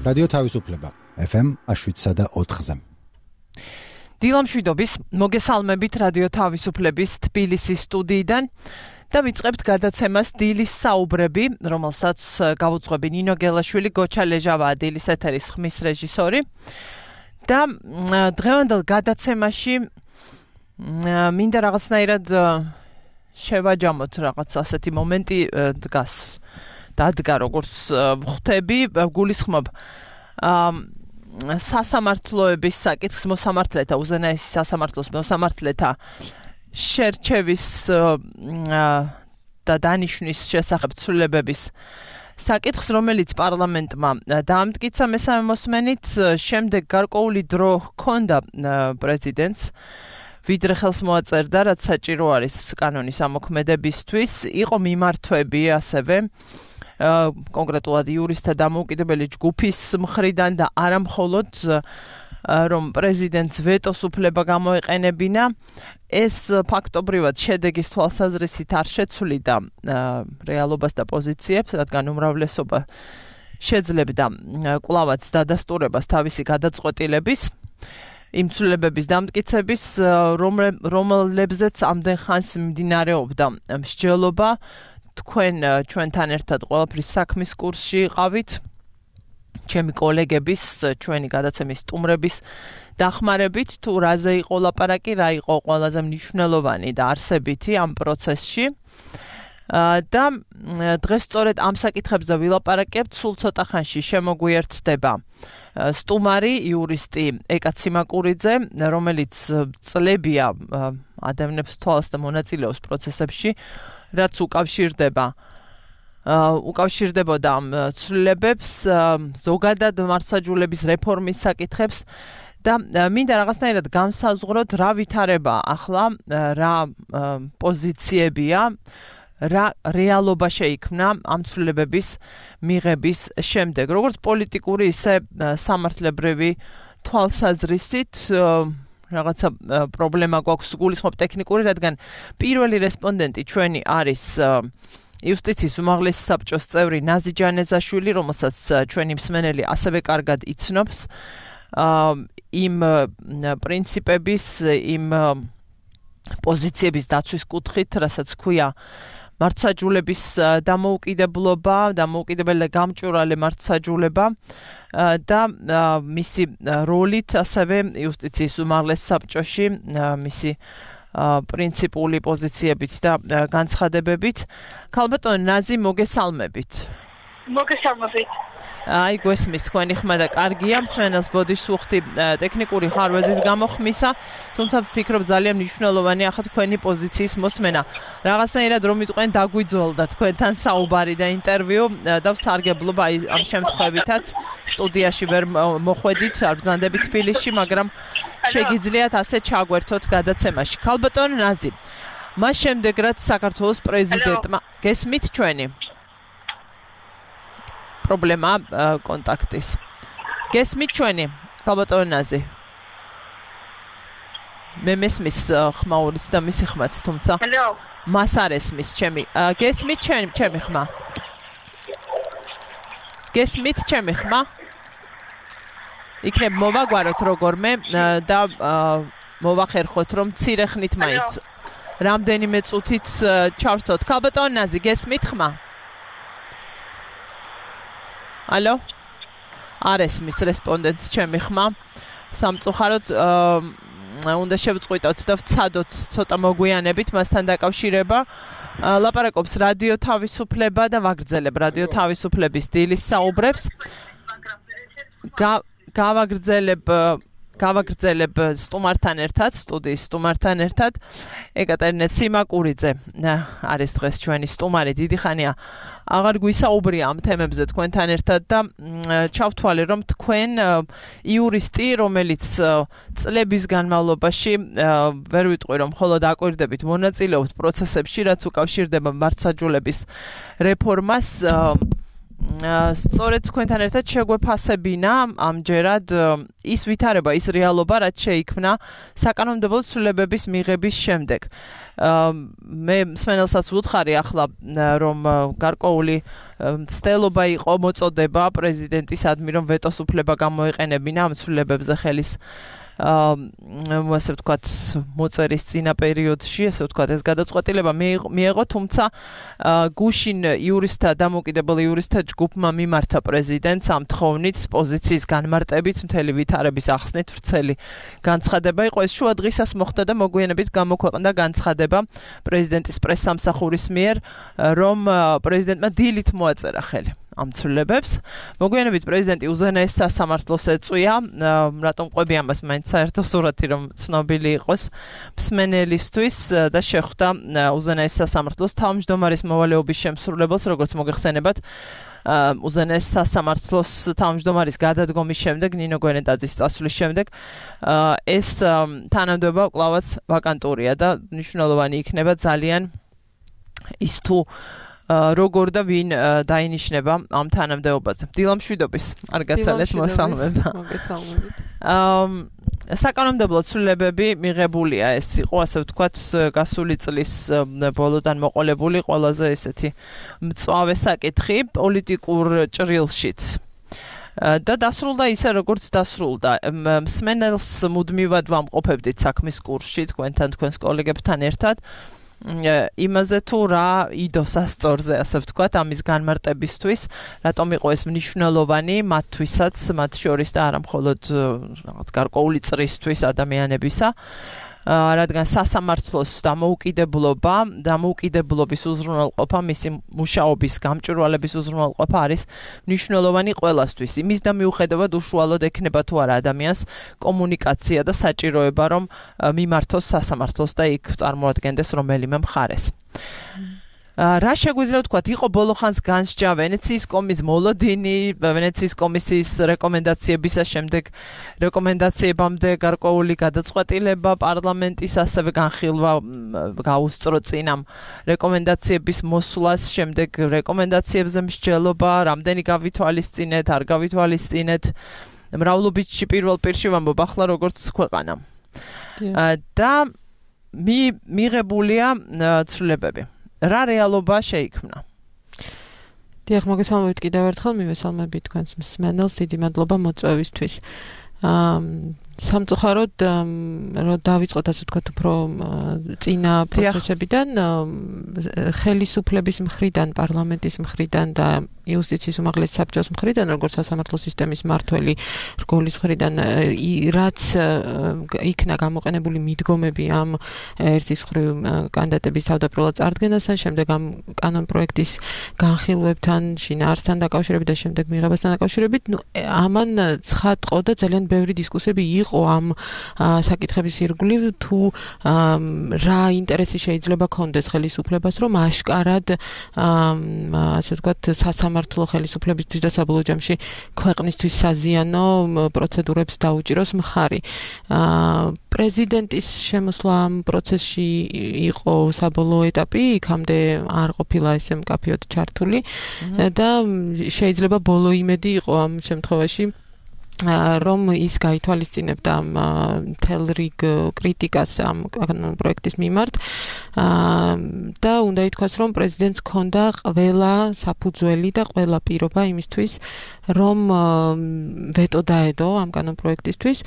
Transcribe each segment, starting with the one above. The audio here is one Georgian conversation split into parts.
რადიო თავისუფლება FM 7.4-ზე. დილამშვიდობის მოგესალმებით რადიო თავისუფლების თბილისის სტუდიიდან და ვიწყებთ გადაცემას დილის საუბრები, რომელსაც გავუძღვები ნინო გელაშვილი, გოჩა ლეჟავაა დილის ეთერის ხმის რეჟისორი. და დღევანდელ გადაცემაში მინდა რაღაცნაირად შევაჯამოთ რაღაც ასეთი მომენტი დადგა როგორც ვხვდები, გულისხმობ სასამართლოების საკითხს მოსამართლეთა უზენაესი სასამართლოს მოსამართლეთა შერჩევის და დანიშვნის შესახებ ცვლილებების საკითხს, რომელიც პარლამენტმა დაამტკიცა მესამე მოსმენით, შემდეგ გარკვეული დრო ჰქონდა პრეზიდენტს, ვიდრე ხელს მოაწერდა, რაც საჭირო არის კანონის ამოქმედებისთვის, იყო მიმართვები ასევე კონკრეტულად იურისტთა დამოუკიდებელი ჯგუფის მხრიდან და არა მხოლოდ რომ პრეზიდენტს ვეტოს უფლება გამოეყენებინა, ეს ფაქტობრივად შედეგის თვალსაზრისით არ შეცვლიდა რეალობას და პოზიციებს, რადგან უმრავლესობა შეძლებდა კვლავაც დადასტურებას თავისი გადაწყვეტილების იმ ცვლილებების დამტკიცების, რომლებზეც ამდენ ხანს მიმდინარეობდა მსჯელობა. თქვენ ჩვენთან ერთად ყველაფრის საქმის კურსში იყავით, ჩემი კოლეგების, ჩვენი გადაცემის სტუმრების დახმარებით, თუ რაზე იყო ლაპარაკი, რა იყო ყველაზე მნიშვნელოვანი და არსებითი ამ პროცესში. და დღეს სწორედ ამ საკითხებზე ვილაპარაკებთ, სულ ცოტა ხანში შემოგვიერთდება სტუმარი, იურისტი ეკა ციმაკურიძე, რომელიც წლებია ადევნებს თვალს და მონაწილეობს პროცესებში, რაც უკავშირდებოდა ამ ცვლილებებს, ზოგადად მართლმსაჯულების რეფორმის საკითხებს და მინდა რაღაცნაირად განსაზღვროთ, რა ვითარება ახლა, რა პოზიციებია, რა რეალობა შეიქმნა ამ ცვლილებების მიღების შემდეგ. როგორც პოლიტიკური, ისე სამართლებრივი თვალსაზრისით რაღაცა პრობლემა გვაქვს, გულისხმობ ტექნიკური, რადგან პირველი რესპონდენტი ჩვენი არის იუსტიციის უმაღლესი საბჭოს წევრი ნაზი ჯანეზაშვილი, რომელსაც ჩვენი მსმენელი ასევე კარგად იცნობს იმ პრინციპების, იმ პოზიციების დაცვის კუთხით, რასაც ქვია მართლმსაჯულების დამოუკიდებლობა, დამოუკიდებელი გამჭვირვალე მართლმსაჯულება და მისი როლით ასევე იუსტიციის უმაღლეს საბჭოში, მისი პრინციპული პოზიციებით და განცხადებებით. ქალბატონო ნაზი, მოგესალმებით. მოგესალმებით. აი, გვესმის თქვენი ხმა და კარგია, მსმენელს ბოდიშს უხდი ტექნიკური ხარვეზის გამოხმისა, თუმცა ვფიქრობ ძალიან მნიშვნელოვანია ახლა თქვენი პოზიციის მოსმენა. რაღაცნაირად რომ იტყვენ დაგვიძველდა თქვენთან საუბარი და ინტერვიუ და ვსარგებლობ აი ამ შემთხვევითაც სტუდიაში ვერ მოხვედით, არ ბრძანდებით თბილისში, მაგრამ შეგიძლიათ ასე ჩაგვერთოთ გადაცემაში. ქალბატონო ნაზი, მას შემდეგ რაც საქართველოს პრეზიდენტმა გესმით ჩვენი პრობლემა კონტაქტის. გესმით ჩვენი, ქალბატონო ნაზი? მე მესმის ხმაურის და მისი ხმაც, თუმცა მას არ ესმის ჩემი. გესმით ჩემი ხმა? გესმით ჩემი ხმა? იქნებ მოვაგვაროთ როგორმე და მოვახერხოთ, რომ მცირე ხნით მაინც რამდენიმე წუთით ჩავრთოთ. ქალბატონო ნაზი, გესმით ხმა? ალო? არ ესმის რესპონდენტს ჩემი ხმა. სამწუხაროდ უნდა შევწყვიტოთ და ვცადოთ ცოტა მოგვიანებით მასთან დაკავშირება. ლაპარაკობს რადიო თავისუფლება და ვაგრძელებ რადიო თავისუფლების დილის საუბრებს. გავაგრძელებ სტუმართან ერთად, სტუდიის სტუმართან ერთად. ეკატერინე ციმაკურიძე არის დღეს ჩვენი სტუმარი, დიდი ხანია აღარ გვისაუბრია ამ თემებზე თქვენთან ერთად და ჩავთვალე, რომ თქვენ იურისტი, რომელიც წლების განმავლობაში ვერ ვიტყვი, რომ მხოლოდ აკვირდებით, მონაწილეობთ პროცესებში, რაც უკავშირდება მართლმსაჯულების რეფორმას, სწორედ თქვენთან ერთად შეგვეფასებინა ამჯერად ის ვითარება, ის რეალობა, რაც შეიქმნა საკანონმდებლო ცვლილებების მიღების შემდეგ. მე მსმენელსაც ვუთხარი ახლა, რომ გარკვეული ცდელობა იყო მოწოდება პრეზიდენტისადმი, რომ ვეტოს უფლება გამოეყენებინა ამ ცვლილებებზე ხელის ასე ვთქვათ, მოწერის წინა პერიოდში, ასე ვთქვათ, ეს გადაწყვეტილება მიიღო, თუმცა გუშინ იურისტთა დამოუკიდებელი იურისტთა ჯგუფმა მიმართა პრეზიდენტს ამ თხოვნით პოზიციის განმარტებით, მთელი ვითარების ახსნით ვრცელი განცხადება იყო. ეს შუა დღისას მოხდა და მოგვიანებით გამოქვეყნდა განცხადება პრეზიდენტის პრესსამსახურის მიერ, რომ პრეზიდენტმა დილით მოაწერა ხელი ამ ცვლილებებს. მოგვიანებით პრეზიდენტი უზენაეს სასამართლოს ეწვია, რატომ ყვები ამას მაინც საერთო სურათი რომ ცნობილი იყოს მსმენელისთვის და შეხვდა უზენაეს სასამართლოს თავმჯდომარის მოვალეობის შემსრულებელს, როგორც მოგეხსენებათ. უზენაეს სასამართლოს თავმჯდომარის გადადგომის შემდეგ, ნინო გვენეტაძის წასვლის შემდეგ, ეს თანამდებობა კვლავაც ვაკანტურია და მნიშვნელოვანი იქნება ძალიან ის თუ როგორ და ვინ დაინიშნება ამ თანამდებობაზე. დილამშვიდობის, არ გაცალეთ მოსალმება. მოგესალმებით. საკანონმდებლო ცვლილებები მიღებულია, ეს იყო, ასე ვთქვათ, გასული წლის ბოლოდან მოყოლებული ყველაზე ესეთი მწვავე საკითხი პოლიტიკურ ჭრილშიც. და დასრულდა ისე, როგორც დასრულდა. მსმენელს მუდმივად ვამყოფებდით საქმის კურსში თქვენს კოლეგებთან ერთად. იმაზე თუ რა იდოს ასწორზე, ასე ვთქვათ, ამის განმარტებისთვის, რატომ იყო ეს მნიშვნელოვანი მათთვისაც, მათ შორის და არა მხოლოდ რაღაც გარკვეული წრისთვის ადამიანებისა, რადგან სასამართლოს დამოუკიდებლობის უზრუნველყოფა, მისი მუშაობის გამჭვირვალების უზრუნველყოფა არის მნიშვნელოვანი ყველასთვის. იმის და მიუხედავად უშუალოდ ექნება თუ არა ადამიანს კომუნიკაცია და საჭიროება, რომ მიმართოს სასამართლოს და იქ წარმოადგენდეს რომელიმე მხარეს. რა შეგვიძლია ვთქვათ, იყო ბოლოხანს განსჯა ვენეციის კომის მოლოდინი, ვენეციის კომისიის რეკომენდაციებისა შემდეგ რეკომენდაციებამდე გარკვეული გადაწყვეტილება პარლამენტის, ასევე განხილვა გაუსწრო წინ ამ რეკომენდაციების მოსვლას, შემდეგ რეკომენდაციებზე მსჯელობა, რამდენი გავითვალისწინეთ, არ გავითვალისწინეთ, მრავლობითში პირველ პირში ვამბობ, ახლა როგორც ქვეყანა. და მიღებულია ცვლილებები. რა რეალობა შეიქმნა? დიახ, მოგესალმებით კიდევ ერთხელ, მივესალმებით თქვენს მსმენელს, დიდი მადლობა მოწვევისთვის. სამწუხაროდ, რომ დავიწყოთ ასე ვთქვათ, უფრო წინა პროცესებიდან, ხელისუფლების მხრიდან, პარლამენტის მხრიდან და იუსტიციის უმაღლესი საბჭოს მხრიდან, როგორც სასამართლო სისტემის მმართველი რგოლის მხრიდან, რაც იქნა გამოყენებული მიდგომები ამ ერთის მხრივ კანდიდატების თავდაპირველად წარდგენასთან, შემდეგ ამ კანონპროექტის განხილვებთან, შინაარსთან დაკავშირებით და შემდეგ მიღებასთან დაკავშირებით, ამან ცხადყო და ძალიან ბევრი დისკუსიები იყო ამ საკითხების ირგვლივ, თუ რა ინტერესი შეიძლება ქონდეს ხელისუფლებას, რომ აშკარად ასე ვთქვათ, სასამართლო ხელისუფლებისთვის და საბოლოო ჯამში ქვეყნისთვის საზიანო პროცედურებს დაუჭიროს მხარი. პრეზიდენტის შემოსვლა ამ პროცესში იყო საბოლოო ეტაპი, იქამდე არ ყოფილა ესე მკაფიოდ ჩართული და შეიძლება ბოლო იმედი იყო ამ შემთხვევაში, რომ ის გაითვალისწინებდა მთელ რიგ კრიტიკას ამ პროექტის მიმართ და უნდა ითქვას, რომ პრეზიდენტს ჰქონდა ყველა საფუძველი და ყველა პირობა იმისთვის, რომ ვეტო დაედო ამ კანონპროექტისთვის.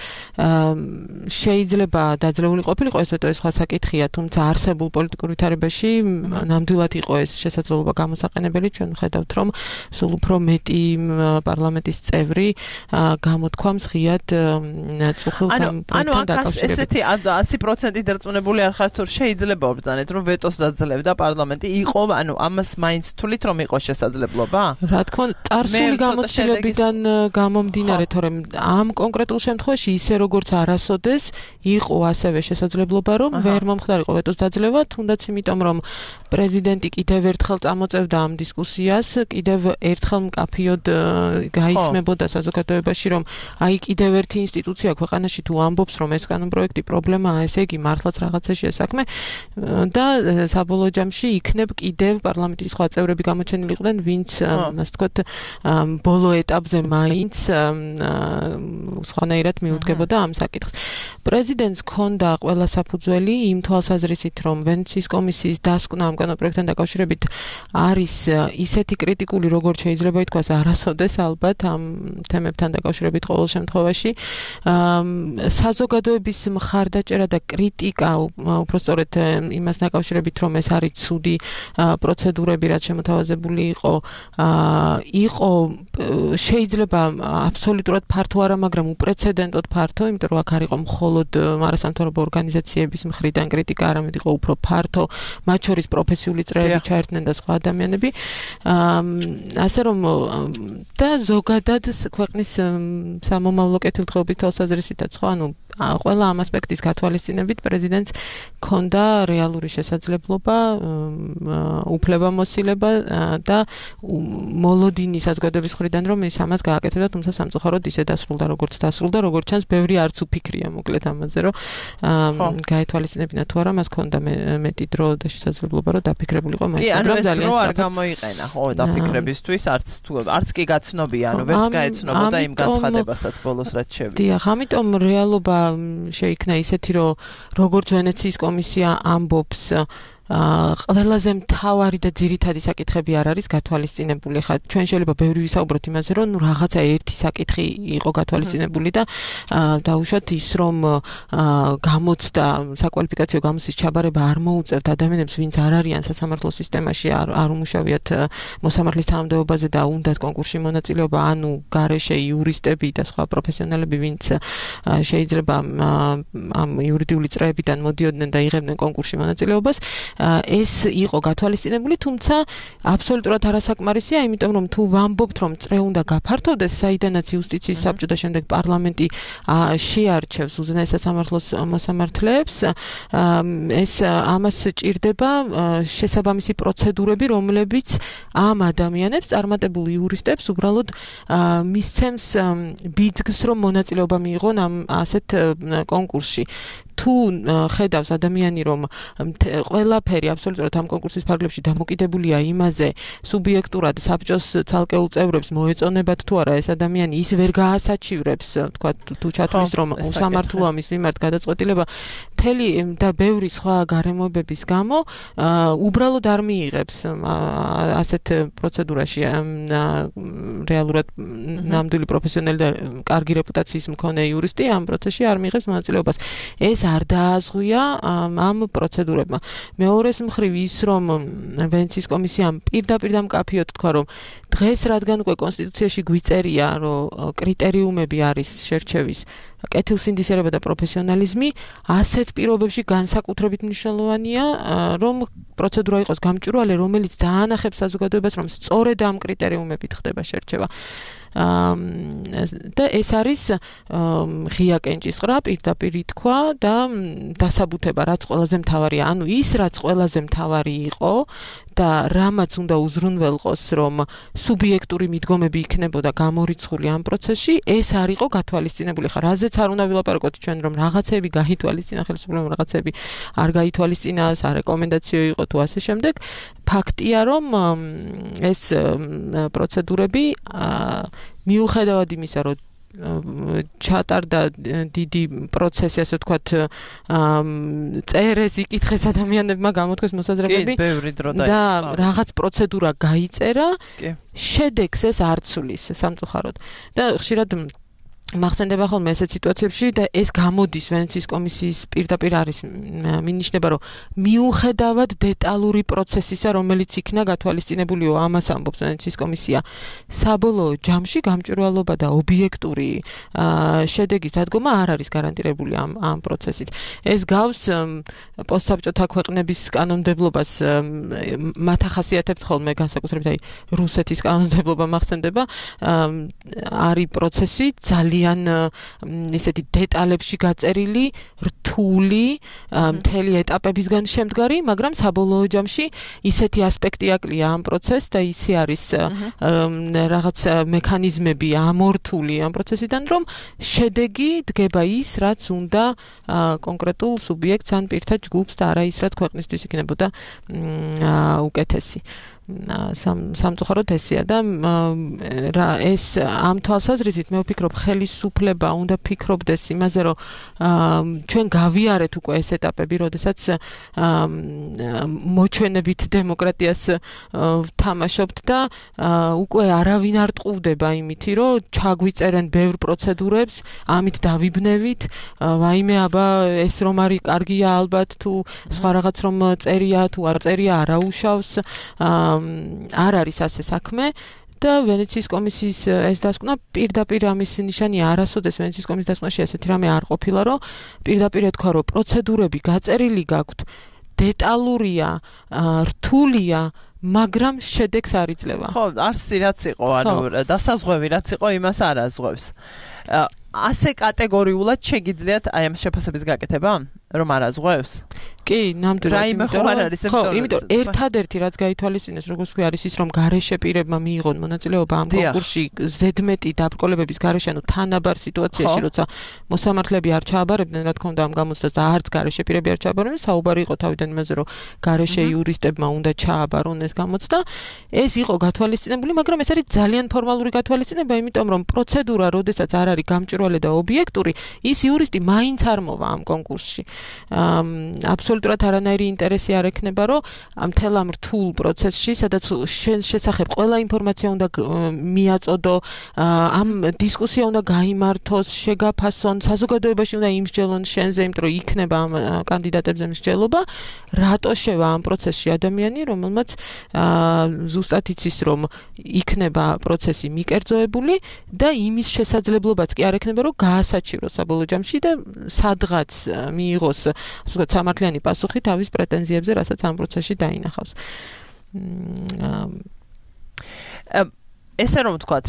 შეიძლება დაძლეული ყოფილიყო ეს ვეტო, ეს სხვა საკითხია, თუმცა არსებულ პოლიტიკურ ვითარებაში ნამდვილად იყო ეს შესაძლებლობა გამოსაყენებელი. ჩვენ ვხედავთ, რომ სულ უფრო მეტი პარლამენტის წევრი გამოთქვამს ღიად წუხილს ამ პროექტთან დაკავშირებით. ესეთი 100% დარწმუნებული არ ხართ, რომ შეიძლება ვბრძანეთ, რომ ვეტოს დაძლევდა პარლამენტი, იყო, ამას მაინც თulit რომ იყო შესაძლებლობა? რა თქმა უნდა, წარსული გამოცდილებიდან გამომდინარე, თორემ ამ კონკრეტულ შემთხვევაში ისე როგორც არასოდეს იყო ასევე შესაძლებლობა, რომ ვერ მომხდარიყო ვეტოს დაძლევა, თუნდაც იმიტომ, რომ პრეზიდენტი კიდევ ერთხელ წამოწევდა ამ დისკუსიას, კიდევ ერთხელ მკაფიოდ გაისმებოდა საზოგადოებაში, რომ აი კიდევ ერთი ინსტიტუცია ქვეყანაში თუ ამბობს რომ ეს კანონპროექტი პრობლემაა, ესე იგი მართლაც რაღაცაშია საქმე და საბოლოო ჯამში იქნებ კიდევ პარლამენტის სხვა წევრები გამოჩენილი იყვნენ, ვინც ასე ვთქვათ ბოლო ეტაპზე მაინც სხვანაირად მიუდგებოდა ამ საკითხს. პრეზიდენტს ჰქონდა ყველა საფუძველი იმ თვალსაზრისით, რომ ვენეციის კომისიის დასკვნა ამ კანონპროექტთან დაკავშირებით არის ისეთი კრიტიკული, როგორც შეიძლება ითქვას, არასოდეს ალბათ ამ თემებთან დაკავშირებით ყოველ შემთხვევაში. საზოგადოების მხარდაჭერა და კრიტიკა უпростоრეთ იმას დაკავშირებით, რომ ეს არის ცუდი პროცედურები, რაც შემოთავაზებული იყო შეიძლება აბსოლუტურად ფართო არა, მაგრამ უპრეცედენტოდ ფართო, იმიტომ რომ აქ არ იყო მხოლოდ არასამთავრობო ორგანიზაციების მხრიდან კრიტიკა, არამედ იყო უფრო ფართო, მათ შორის პროფესიული წრეები ჩაერთნენ და სხვა ადამიანები. ასე რომ და ზოგადად ქვეყნის სამომავლო კეთილდღეობის თვალსაზრისითაც ხო, ანუ ყველა ამ ასპექტის გათვალისწინებით პრეზიდენტს ჰქონდა რეალური შესაძლებლობა, უფლებამოსილება და მოლოდინი საზოგადოების მხრიდან რომ ის ამას გააკეთებდა, თუმცა სამწუხაროდ ისე დასრულდა, როგორც დასრულდა, როგორც ჩანს, ბევრი არც უფიქრია მოკლედ ამაზე, რომ გაეთვალისწინებინა თუ არა, მას ჰქონდა მეტი დრო და შესაძლებლობა, რომ დაფიქრებულიყო მაინც, მაგრამ ძალიან დრო არ გამოიყენა, ხო, დაფიქრებისთვის, არც კი გაცნობია, ანუ ვერც გაეცნობოდა იმ განცხადებასაც ბოლოს რაც შევიდა. დიახ, ამიტომ რეალობა შეიქნა ისეთი, რომ როგორც ვენეციის კომისია ამბობს, ყველაზე მთავარი და ძირითადი საკითხები არ არის გათვალისწინებული. ხა ჩვენ შეიძლება ბევრი ვისაუბროთ იმაზე, რომ რაღაცა ერთი საკითხი იყო გათვალისწინებული და დაუშვათ ის, რომ გამოცდა საკვალიფიკაციო გამოცდის ჩაბარება არ მოუწევთ ადამიანებს, ვინც არ არიან სასამართლო სისტემაში, არ უმუშავიათ მოსამართლის თანამდებობაზე და უნდათ კონკურსში მონაწილეობა, ანუ გარეშე იურისტები და სხვა პროფესიონალები, ვინც შეიძლება ამ იურიდიული წრეებიდან მოდიოდნენ და იღებდნენ კონკურსში მონაწილეობას. ეს იყო გათვალისწინებული, თუმცა აბსოლუტურად არასაკმარისია, იმიტომ რომ თუ ვამბობთ, რომ წრე უნდა გაფართოვდეს, საიდანაც იუსტიციის საბჭო და შემდეგ პარლამენტი შეარჩევს უზენაეს სასამართლოს მოსამართლეებს, ეს ამას სჭირდება შესაბამისი პროცედურები, რომლებიც ამ ადამიანებს, წარმატებულ იურისტებს უბრალოდ მისცემს ბიძგს, რომ მონაწილეობა მიიღონ ამ ასეთ კონკურსში. თუ ხედავს ადამიანი, რომ ყველაფერი აბსოლუტურად ამ კონკურსის ფარგლებში დამოკიდებულია იმაზე, სუბიექტურად საბჭოს ცალკეულ წევრებს მოეწონებათ თუ არა ეს ადამიანი, ის ვერ გაასაჩივრებს, თქვა თუ ჩათვლის, რომ უსამართლოა მის მიმართ გადაწყვეტილება, მთელი და ბევრი სხვა გარემოებების გამო უბრალოდ არ მიიღებს ასეთ პროცედურაში რეალურად ნამდვილი პროფესიონალი და კარგი რეპუტაციის მქონე იურისტი ამ პროცესში არ მიიღებს მონაწილეობას. ეს არ დააზღვია ამ პროცედურებმა. მეორეს მხრივ ის, რომ ვენეციის კომისიამ პირდაპირ და მკაფიოდ თქვა, რომ დღეს რადგან უკვე კონსტიტუციაში გვიწერია, რომ კრიტერიუმები არის შერჩევის კეთილსინდისერება და პროფესიონალიზმი, ასეთ პირობებში განსაკუთრებით მნიშვნელოვანია, რომ პროცედურა იყოს გამჭვირვალე, რომელიც დაანახებს საზოგადოებას, რომ სწორედ ამ კრიტერიუმებით ხდება შერჩევა. და ეს არის ღია კენჭისყრა, პირდაპირ ითქვა და დასაბუთება, რაც ყველაზე მთავარია. ანუ ის, რაც ყველაზე მთავარი იყო და რამაც უნდა უზრუნველყოს, რომ სუბიექტური მიდგომები იქნებოდა გამორიცხული ამ პროცესში, ეს არ იყო გათვალისწინებული. ხა რაზეც არ უნდა ვილაპარაკოთ ჩვენ, რომ რაღაცები გაითვალისწინა ხელისუფლებამ, რაღაცები არ გაითვალისწინა, სარეკომენდაციო იყო თუ ასე შემდეგ. ფაქტია, რომ ეს პროცედურები მიუხედავად იმისა, რომ ჩატარდა დიდი პროცესი, ასე ვთქვათ, წერეს, იკითხეს ადამიანებმა, გამოთქვეს მოსაზრებები და რაღაც პროცედურა გაიწერა, შედეგს ეს არ ცვლის სამწუხაროდ. და ხშირად მახსენდება ხოლმე ესეთ სიტუაციებში და ეს გამოდის ვენეციის კომისიის პირდაპირ არის მინიშნება, რომ მიუხედავად დეტალური პროცესისა, რომელიც იქნა გათვალისწინებულიო, ამას ამბობს ვენეციის კომისია, საბოლოო ჯამში გამჭვირვალობა და ობიექტური შედეგის დადგომა არ არის გარანტირებული ამ პროცესით. ეს გავს პოსტსაბჭოთა ქვეყნების კანონმდებლობას, მათ ახასიათებთ ხოლმე განსაკუთრებით აი რუსეთის კანონმდებლობა მახსენდება, არის პროცესი ძალიან ძალიან ისეთი დეტალებში გაწერილი, რთული, მთელი ეტაპებისგან შემდგარი, მაგრამ საბოლოო ჯამში ისეთი ასპექტი აკლია ამ პროცესს და ისე არის რაღაც მექანიზმები ამორთული ამ პროცესიდან, რომ შედეგი დგება ის, რაც უნდა კონკრეტულ სუბიექტს ან პირთა ჯგუფს და არა ის, რაც ქვეყნისთვის იქნებოდა უკეთესი. სამწუხაროდ ესეა და ეს ამ თვალსაზრისით მე ვფიქრობ ხელისუფლება უნდა ფიქრობდეს იმაზე რომ ჩვენ გავიარეთ უკვე ეს ეტაპები, როდესაც მოჩვენებით დემოკრატიას ვთამაშობთ და უკვე არავინ არ ტყუდება იმითი რომ ჩაგვიწერენ ბევრ პროცედურებს, ამით დავიბნევით, ვაიმე აბა ეს რომ არის კარგია ალბათ თუ სხვა რაღაც რომ წერია თუ არ წერია არაუშავს არ არის ასე საქმე და ვენეციის კომისიის ეს დასკვნა პირდაპირ ამის ნიშანია არასოდეს ვენეციის კომისიის დასკვნაში ასეთი რამე არ ყოფილა რომ პირდაპირ ეთქვა რომ პროცედურები გაწერილი გაქვთ დეტალურია რთულია მაგრამ შედეგს არ იძლევა ხო არსი რაც იყო ანუ დასაზღვევი რაც იყო იმას არ აზღვევს ასე კატეგორიულად შეგიძლიათ აი ამ შეფასების გაკეთება რომ არ აზღვევს კი, ნამდვილად. ხო, იმიტომ ერთადერთი რაც გაითვალისწინეს, როგორც ვთქვი, არის ის, რომ გარეშე პირებმა მიიღონ მონაწილეობა ამ კონკურსში ზედმეტი დაბრკოლებების გარეშე, ანუ თანაბარ სიტუაციაში, როცა მოსამართლეები არ ჩააბარებდნენ, რა თქმა უნდა, ამ გამოცდას და არც გარეშე პირები არ ჩააბარებდნენ, საუბარი იყო თავიდან იმაზე, რომ გარეშე იურისტებმა უნდა ჩააბარონ ეს გამოცდა. ეს იყო გათვალისწინებული, მაგრამ ეს არის ძალიან ფორმალური გათვალისწინება, იმიტომ რომ პროცედურა, როდესაც არ არის გამჭვირვალე და ობიექტური, ის იურისტი მაინც არ მოვა ამ კონკურსში. აბსოლუტურად არანაირი ინტერესი არ ექნება, რომ მთელ ამ რთულ პროცესში, სადაც შესახებ ყველა ინფორმაცია უნდა მიაწოდო, ამ დისკუსია უნდა გაიმართოს, შეგაფასონ, საზოგადოებაში უნდა იმსჯელონ შენზე, იმიტომ რომ იქნება ამ კანდიდატებზე მსჯელობა, რატო შევა ამ პროცესში ადამიანი, რომელმაც ზუსტად იცის, რომ იქნება პროცესი მიკერძოებული და იმის შესაძლებლობაც კი არ ექნება, რომ გაასაჩივროს საბოლოო ჯამში და სადღაც მიიღოს, ასე ვთქვათ, სამართლიანი პასუხი თავის პრეტენზიებზე, რასაც ამ პროცესში დაინახავს. ესე რომ ვთქვათ,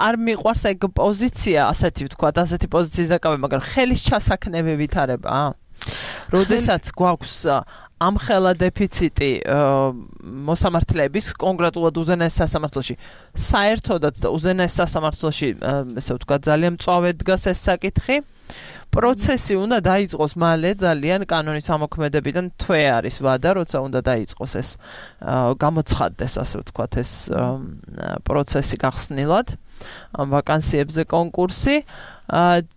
არ მიყვარს ეგ პოზიცია, ასეთი ვთქვათ, ასეთი პოზიციის დაკავება, მაგრამ ხელის ჩასაქნები ვითარება. როდესაც გვაქვს ამხელა დეფიციტი მოსამართლეების კონკრეტულად უზენაეს სასამართლოში, საერთოდაც და უზენაეს სასამართლოში, ესე ვთქვათ, ძალიან მწვავედ დგას ეს საკითხი. პროცესი უნდა დაიწყოს მალე ძალიან კანონის ამოქმედებიდან თვე არის ვადა, როცა უნდა დაიწყოს ეს გამოცხადდეს, ასე ვთქვათ, ეს პროცესი გახსნილად ამ ვაკანსიებზე კონკურსი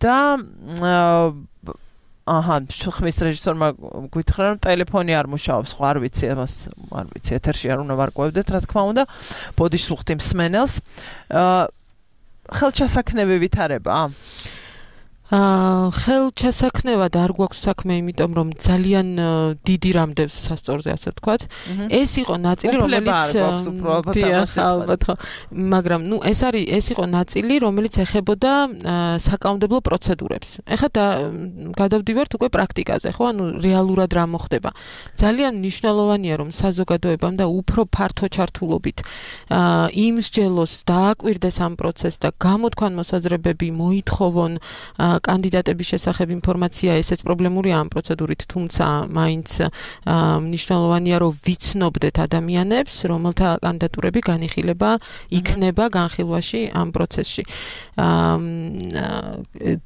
და ხმის რეჟისორმა გითხრა რომ ტელეფონი არ მუშაობს, ხო არ ვიცი, ამას არ ვიცი, ეთერში არ უნდა ვარკვევდეთ, რა თქმა უნდა, ბოდიში ვხვდი მსმენელს. ხელჩასაქნები ვითარება? ხელჩასაქნევად არ გვაქვს საქმე, იმიტომ რომ ძალიან დიდი რამდევს სასწორზე, ასე ვთქვათ. ეს იყო ნაწილი, რომელიც ალბათ ხო, მაგრამ ნუ ეს იყო ნაწილი, რომელიც ეხებოდა საკანონმდებლო პროცედურებს. ეხლა გადავდივართ უკვე პრაქტიკაზე, ხო, ანუ რეალურად რა მოხდება. ძალიან მნიშვნელოვანია, რომ საზოგადოებამ და უფრო ფართო ჩართულობით იმსჯელოს, დააკვირდეს ამ პროცესს და გამოთქვან მოსაზრებები, მოითხოვონ კანდიდატების შესახებ ინფორმაცია, ესეც პრობლემურია ამ პროცედურით, თუმცა მაინც მნიშვნელოვანია, რომ ვიცნობდეთ ადამიანებს, რომელთა კანდიდატურები განიხილება იქნება განხილვაში ამ პროცესში.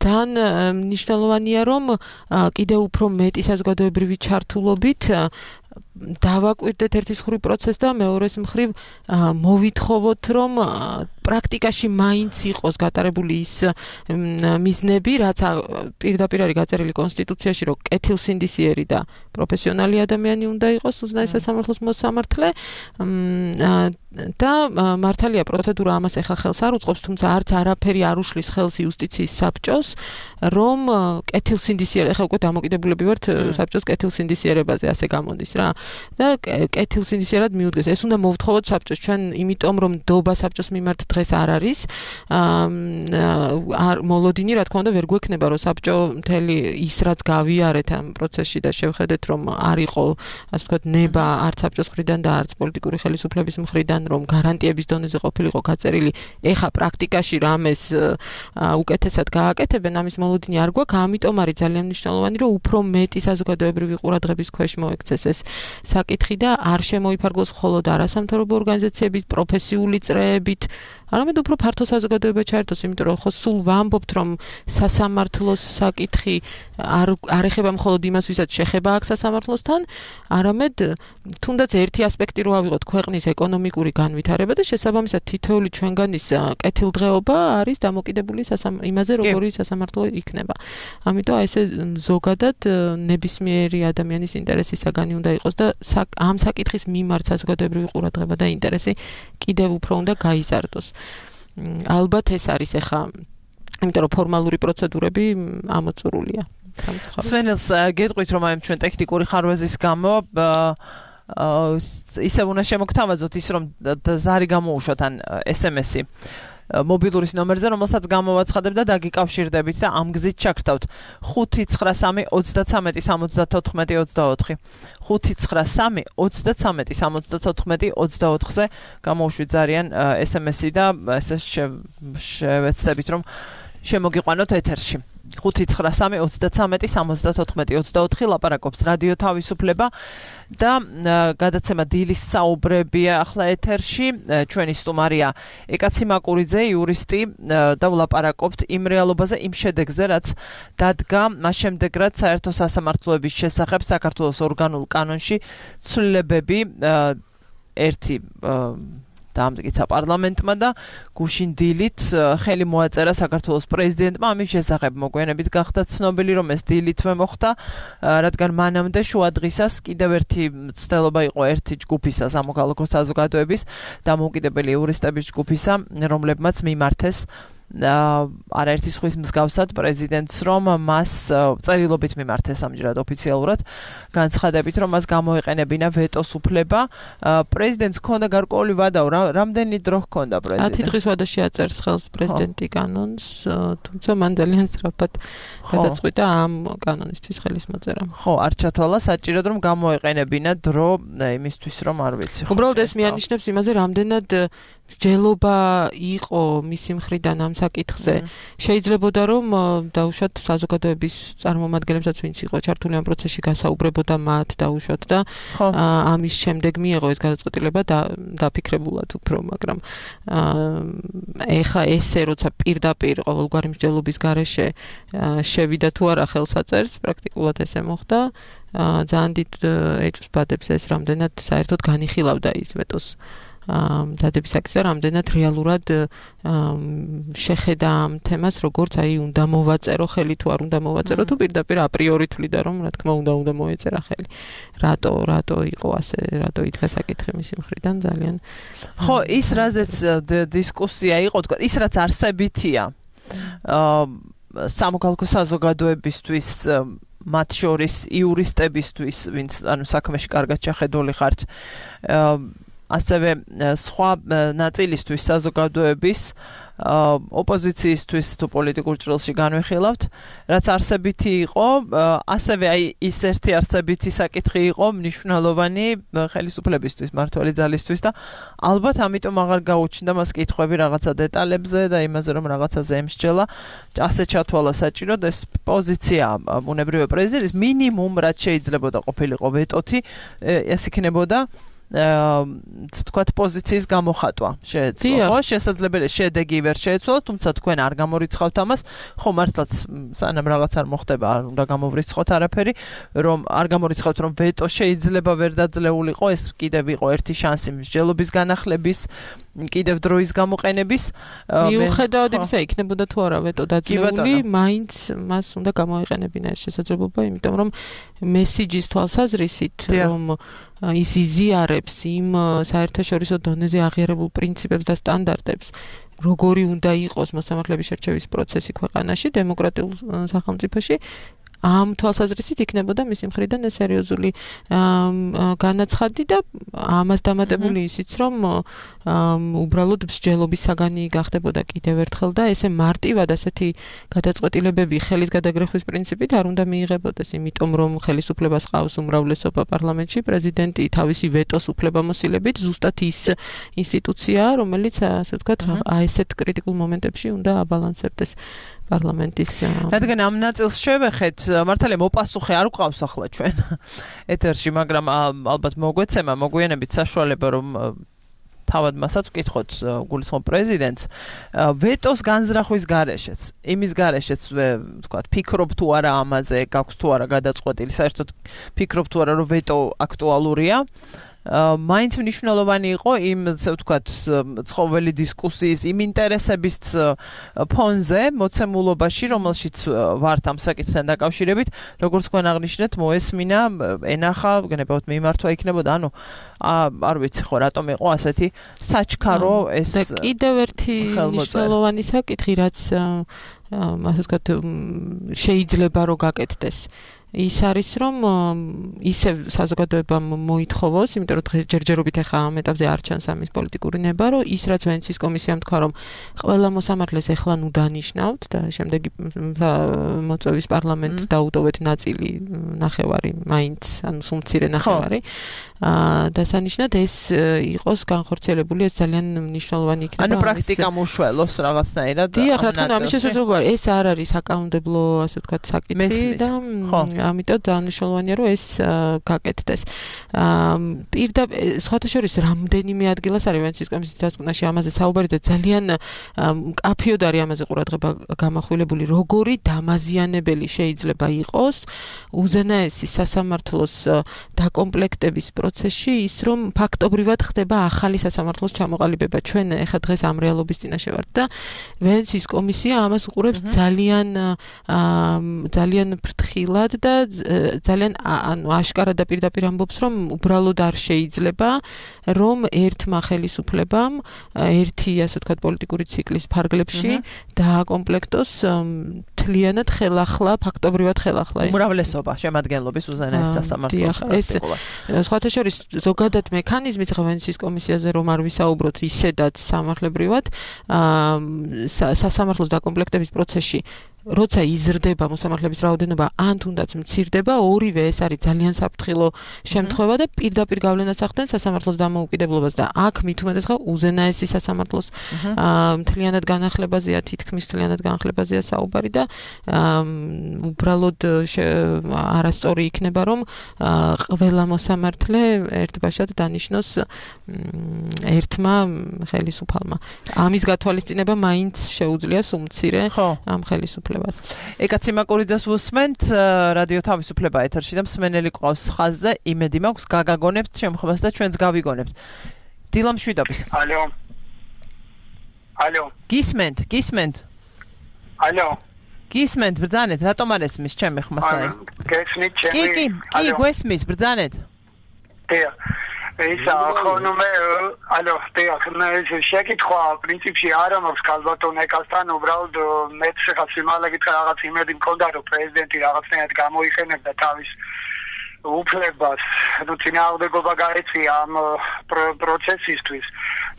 ძალიან მნიშვნელოვანია, რომ კიდევ უფრო მეტი საზოგადოებრივი ჩართულობით დავაკვირდეთ ერთის მხრივ პროცესს და მეორეს მხრივ მოვითხოვოთ, რომ პრაქტიკაში მაინც იყოს გატარებული ის მიზნები, რაც პირდაპირ არის გაწერილი კონსტიტუციაში, რომ კეთილსინდისიერი და პროფესიონალი ადამიანი უნდა იყოს უზენაეს სასამართლოს მოსამართლე და მართალია პროცედურა ამას ეხლა ხელს არ უწყობს, თუმცა არც არაფერი არ უშლის ხელს იუსტიციის საბჭოს, რომ კეთილსინდისიერი, ეხლა უკვე დამოკიდებულები ვართ საბჭოს კეთილსინდისიერებაზე, ასე გამოდის რა. და კეთილსინდისიერად მიუდგეს. ეს უნდა მოვთხოვოთ საბჭოს, ჩვენ იმიტომ რომ დობა საბჭოს მიმართ დღეს არ არის, მოლოდინი რა თქმა უნდა ვერ გვექნება, რომ საბჭო მთელი ის რაც გავიარეთ ამ პროცესში და შევხედეთ რომ არ იყო, ასე ვთქვათ, ნება არც საბჭოს მხრიდან და არც პოლიტიკური ხელისუფლების მხრიდან, რომ გარანტიების დონეზე ყოფილიყო გაწერილი, ეხა პრაქტიკაში რამეს უკეთესად გააკეთებენ, ამის მოლოდინი არ გვაქვს, ამიტომ არის ძალიან მნიშვნელოვანი, რომ უფრო მეტი საზოგადოებრივი ყურადღების ქვეშ მოექცეს ეს საკითხი და არ შემოიფარგლოს მხოლოდ არასამთავრობო ორგანიზაციებით, პროფესიული წრეებით, არამედ უფრო ფართო საზოგადოება ჩაერთოს, იმიტომ რომ ხო სულ ვამბობთ, რომ სასამართლოს საკითხი არ ეხება მხოლოდ იმას, ვისაც შეხება აქვს სასამართლოსთან, არამედ თუნდაც ერთი ასპექტი რო ავიღოთ ქვეყნის ეკონომიკური განვითარება და შესაბამისად თითოეული ჩვენგანის კეთილდღეობა არის დამოკიდებული იმაზე, როგორი სასამართლო იქნება. ამიტომ ესე ზოგადად ნებისმიერი ადამიანის ინტერესის საგანი უნდა იყოს და ამ საკითხის მიმართ საზოგადოებრივი ყურადღება და ინტერესი კიდევ უფრო უნდა გაიზარდოს. ალბათ ეს არის ახლა, იმიტომ რომ ფორმალური პროცედურები ამოწურულია. სვენელს გეტყვით რომ აი ჩვენ ტექნიკური ხარვეზის გამო ისევ უნდა შემოგთავაზოთ ის რომ ზარი გამოუშვათ ან SMS-ი მობილურის ნომერზე, რომელსაც გამოვაცხადებ და დაგიკავშირდებით და ამ გზით ჩაგრთავთ 593 33 74 593 33 74 24-ზე გამოვშვით ზარიან SMS-ი და ესე შევეცდებით რომ შემოგიყვანოთ ეთერში. 593 33 74 24 ლაპარაკობს რადიო თავისუფლება და გადაცემა დილის საუბრებია ახლა ეთერში. ჩვენი სტუმარია ეკაცი მაკურიძე, იურისტი და ვლაპარაკობთ იმ რეალობაზე, იმ შედეგზე, რაც დადგა მას შემდეგ, რაც საერთო სასამართლოების შესახებ საქართველოს ორგანულ კანონში ცვლილებები ერთი დაამტკიცა პარლამენტმა და გუშინ დილით ხელი მოაწერა საქართველოს პრეზიდენტმა ამის შესახებ. მოგვიანებით გახდა ცნობილი, რომ ეს დილითვე მოხდა, რადგან მანამდე შუა დღისას კიდევ ერთი მცდელობა იყო ერთი ჯგუფისა, სამოქალაქო საზოგადოების დამოუკიდებელი იურისტების ჯგუფისა, რომლებმაც მიმართეს არაერთი სხვის მსგავსად პრეზიდენტს, რომ მას წერილობით მიმართეს ამჯერად ოფიციალურად, განცხადებით, რომ მას გამოეყენებინა ვეტოს უფლება. პრეზიდენტს ჰქონდა გარკვეული ვადა, რამდენი დრო ჰქონდა პრეზიდენტს? 10 დღის ვადაში აწერს ხელს პრეზიდენტი კანონს, თუმცა მან ძალიან სწრაფად გადაწყვიტა ამ კანონისთვის ხელის მოწერა. ხო, არ ჩათვალა საჭიროდ, რომ გამოეყენებინა დრო იმისთვის, რომ არ ვიცი. უბრალოდ ეს მიანიშნებს იმაზე, რამდენად მსჯელობა იყო მისი მხრიდან ამ საკითხზე. შეიძლებოდა რომ დაუშვათ საზოგადოების წარმომადგენლებსაც, ვინც იყო ჩართული ამ პროცესში, გასაუბრებოდა მათ დაუშვათ და ამის შემდეგ მიიღო ეს გადაწყვეტილება დაფიქრებულად უფრო, მაგრამ ეხა ესე როცა პირდაპირ ყოველგვარი მსჯელობის გარეშე შევიდა თუ არა ხელსაწერს, პრაქტიკულად ესე მოხდა. ძალიან დიდ ეჭვს ბადებს ეს, რამდენად საერთოდ განიხილავდა ის ვეტოს დადების აქტზე, რამდენად რეალურად შეხედა ამ თემას, როგორც აი უნდა მოვაწერო ხელი თუ არ უნდა მოვაწერო, თუ პირდაპირ აპრიორი თვლიდა რომ რა თქმა უნდა მოეწერა ხელი. რატო იყო ასე, რატო იდგა საკითხი მისი მხრიდან ძალიან. ხო, ის რაზეც დისკუსია იყო, თქვა, ის რაც არსებითია სამოქალაქო საზოგადოებისთვის, მათ შორის იურისტებისთვის, ვინც ანუ საქმეში კარგად ჩახედული ხართ, ასევე სხვა ნაწილისთვის საზოგადოების ოპოზიციისთვის თუ პოლიტიკურ ჭრილში განვიხილავთ, რაც არსებითი იყო, ასევე აი ის ერთი არსებითი საკითხი იყო მნიშვნელოვანი ხელისუფლებისთვის, მმართველი ძალისთვის და ალბათ ამიტომ აღარ გაუჩნდა მას კითხვები რაღაცა დეტალებზე და იმაზე, რომ რაღაცაზე ემსჯელა, ასე ჩათვალა საჭიროდ ეს პოზიცია ბუნებრივი პრეზიდენტის მინიმუმ რაც შეიძლებოდა ყოფილიყო ვეტოთი, ეს იქნებოდა თქვათ პოზიციის გამოხატვა შეეძლო, ხო? შესაძლებელია შედეგი ვერ შეეცვალა, თუმცა თქვენ არ გამორიცხავთ ამას, ხო მართლაც სანამ რაღაც არ მოხდება, არ უნდა გამოვრიცხოთ არაფერი, რომ არ გამორიცხავთ, რომ ვეტო შეიძლება ვერ დაძლეულიყო, ეს კიდევ იყო ერთი შანსი მსჯელობის განახლების, კიდევ დროის გამოყენების. მიუხედავად იმისა, იქნებოდა თუ არა ვეტო დაძლეული, მაინც მას უნდა გამოეყენებინა ეს შესაძლებლობა, იმიტომ რომ მესიჯის თვალსაზრისით, რომ ის იზიარებს იმ საერთაშორისო დონეზე აღიარებულ პრინციპებს და სტანდარტებს, როგორი უნდა იყოს მოსამართლეების შერჩევის პროცესი ქვეყანაში, დემოკრატიულ სახელმწიფოში, ამ თვალსაზრისით იქნებოდა მისი მხრიდან ეს სერიოზული განაცხადი და ამას დამატებული ისიც რომ უბრალოდ მსჯელობის საგანი გახდებოდა კიდევ ერთხელ და ესე მარტივად ასეთი გადაწყვეტილებები ხელის გადაგრეხვის პრინციპით არ უნდა მიიღებოდეს, იმიტომ რომ ხელისუფლებას ყავს უმრავლესობა პარლამენტში, პრეზიდენტი თავისი ვეტოს უფლებამოსილებით ზუსტად ის ინსტიტუციაა, რომელიც ასე ვთქვათ, ესეთ კრიტიკულ მომენტებში უნდა აბალანსებდეს პარლამენტის. რადგან ამ ნაწილს შევეხეთ, მართალია მოპასუხე არ გვყავს ახლა ჩვენ ეთერში, მაგრამ ალბათ მოგვიანებით საშუალება რომ თავად მასაც ვკითხოთ გულისხმობ პრეზიდენტს ვეტოს განზრახვის გარეშეც, იმის გარეშეც ვთქვათ, ფიქრობ თუ არა ამაზე, გაქვს თუ არა გადაწყვეტილი, საერთოდ ფიქრობ თუ არა რომ ვეტო აქტუალურია. მაინც მნიშვნელოვანი იყო იმ, ასე ვთქვათ, ცხოველი დისკუსიის, იმ ინტერესების ფონზე, მოცემულობაში, რომელშიც ვართ ამ საკითხთან დაკავშირებით, როგორც თქვენ აღნიშნეთ, მოესმინა, ენახა, გენებავთ მიმართვა იქნებოდა, ანუ არ ვიცი ხო, რატომ იყო ასეთი საჩქარო ეს და კიდევ ერთი მნიშვნელოვანი საკითხი, რაც ასე ვთქვათ, შეიძლება რომ გაკეთდეს. ის არის რომ ისევ საზოგადოებამ მოითხოვოს, იმიტომ რომ ჯერჯერობით ახლა ამ ეტაპზე არ ჩანს ამის პოლიტიკური ნება, რომ ის რაც ვენეციის კომისიამ თქვა, რომ ყველა მოსამართლეს ახლა ნუ დანიშნავთ და შემდეგი მოწვევის პარლამენტს დაუტოვეთ ნაწილი, ნახევარი, მაინც, ანუ სულ მცირე ნახევარი. დასანიშნად ეს იყოს განხორციელებული, ეს ძალიან მნიშვნელოვანი იქნება. ანუ პრაქტიკა მუშველოს რაღაცნაირად. დიახ, რა თქმა უნდა, ამის შესაძლებლობა ეს არ არის საკანონმდებლო, ასე ვთქვათ, საკითხი და ამიტომ დანიშნულოვანია რომ ეს გაკეთდეს. სხვათა შორის რამდენიმე ადგილას არის ვენეციის კომისიის დასკვნაში ამაზე საუბარი და ძალიან მკაფიოდ არის ამაზე ყურადღება გამახვილებული, როგორი დამაზიანებელი შეიძლება იყოს უზენაესი სასამართლოს დაკომპლექტების პროცესში ის რომ ფაქტობრივად ხდება ახალი სასამართლოს ჩამოყალიბება. ჩვენ ეხლა დღეს ამ რეალობის წინაშე ვართ და ვენეციის კომისია ამას უყურებს ძალიან ფრთხილად და ძალიან ანუ აშკარად და პირდაპირ ამბობს რომ უბრალოდ არ შეიძლება რომ ერთმა ხელისუფლებამ ერთი ასე ვთქვათ პოლიტიკური ციკლის ფარგლებში დააკომპლექტოს მთლიანად ხელახლა ფაქტობრივად ხელახლა უმრავლესობა შემადგენლობის უზენაეს სასამართლოს. ეს სხვათა შორის ზოგადად მექანიზმი ხა ვენეციის კომისიაზე რომ არ ვისაუბროთ ისედაც სამართლებრივად სასამართლოს დაკომპლექტების პროცესში როცა იზრდება მოსამართლეების რაოდენობა ან თუნდაც მცირდება, ორივე ეს არის ძალიან საფრთხილო შემთხვევა და პირდაპირ გავლენას ახდენს სასამართლოს დამოუკიდებლობას და აქ მით უმეტეს ხა უზენაესი სასამართლოს მთლიანად განახლებაზეა, თითქმის მთლიანად განახლებაზეა საუბარი და უბრალოდ არასწორი იქნება რომ ყველა მოსამართლე ერთბაშად დანიშნოს ერთმა ხელისუფალმა. ამის გათვალისწინება მაინც შეუძლია სუმცირე ამ ხელისუფლებას. ეკაცი მაკურიძეს ვუსმენთ, რადიო თავისუფლება ეთერში და მსმენელი ყავს ხაზზე, იმედი მაქვს გაგაგონებთ შემთხვევას და ჩვენც გავიგონებთ. დილა მშვიდობის. ალო. გისმენთ. ალო. გისმენთ, ბრძანეთ, რატომ არ ესმის ჩემი ხმასა? გესმით ჩემი. კი, გვესმის, ბრძანეთ. დიახ. ისა ხონომე ალო შეკითხვა პრინციპში არ მაქვს ქალბატონ ეკასთან უბრალოდ მეც ხა სიმაღლე გითხრა რაღაც იმედი მქონდა რომ პრეზიდენტი რაღაცნაირად გამოიხენებდა თავის უფლებას ნუ წინააღმდეგობა გაეწია ამ პროცესისთვის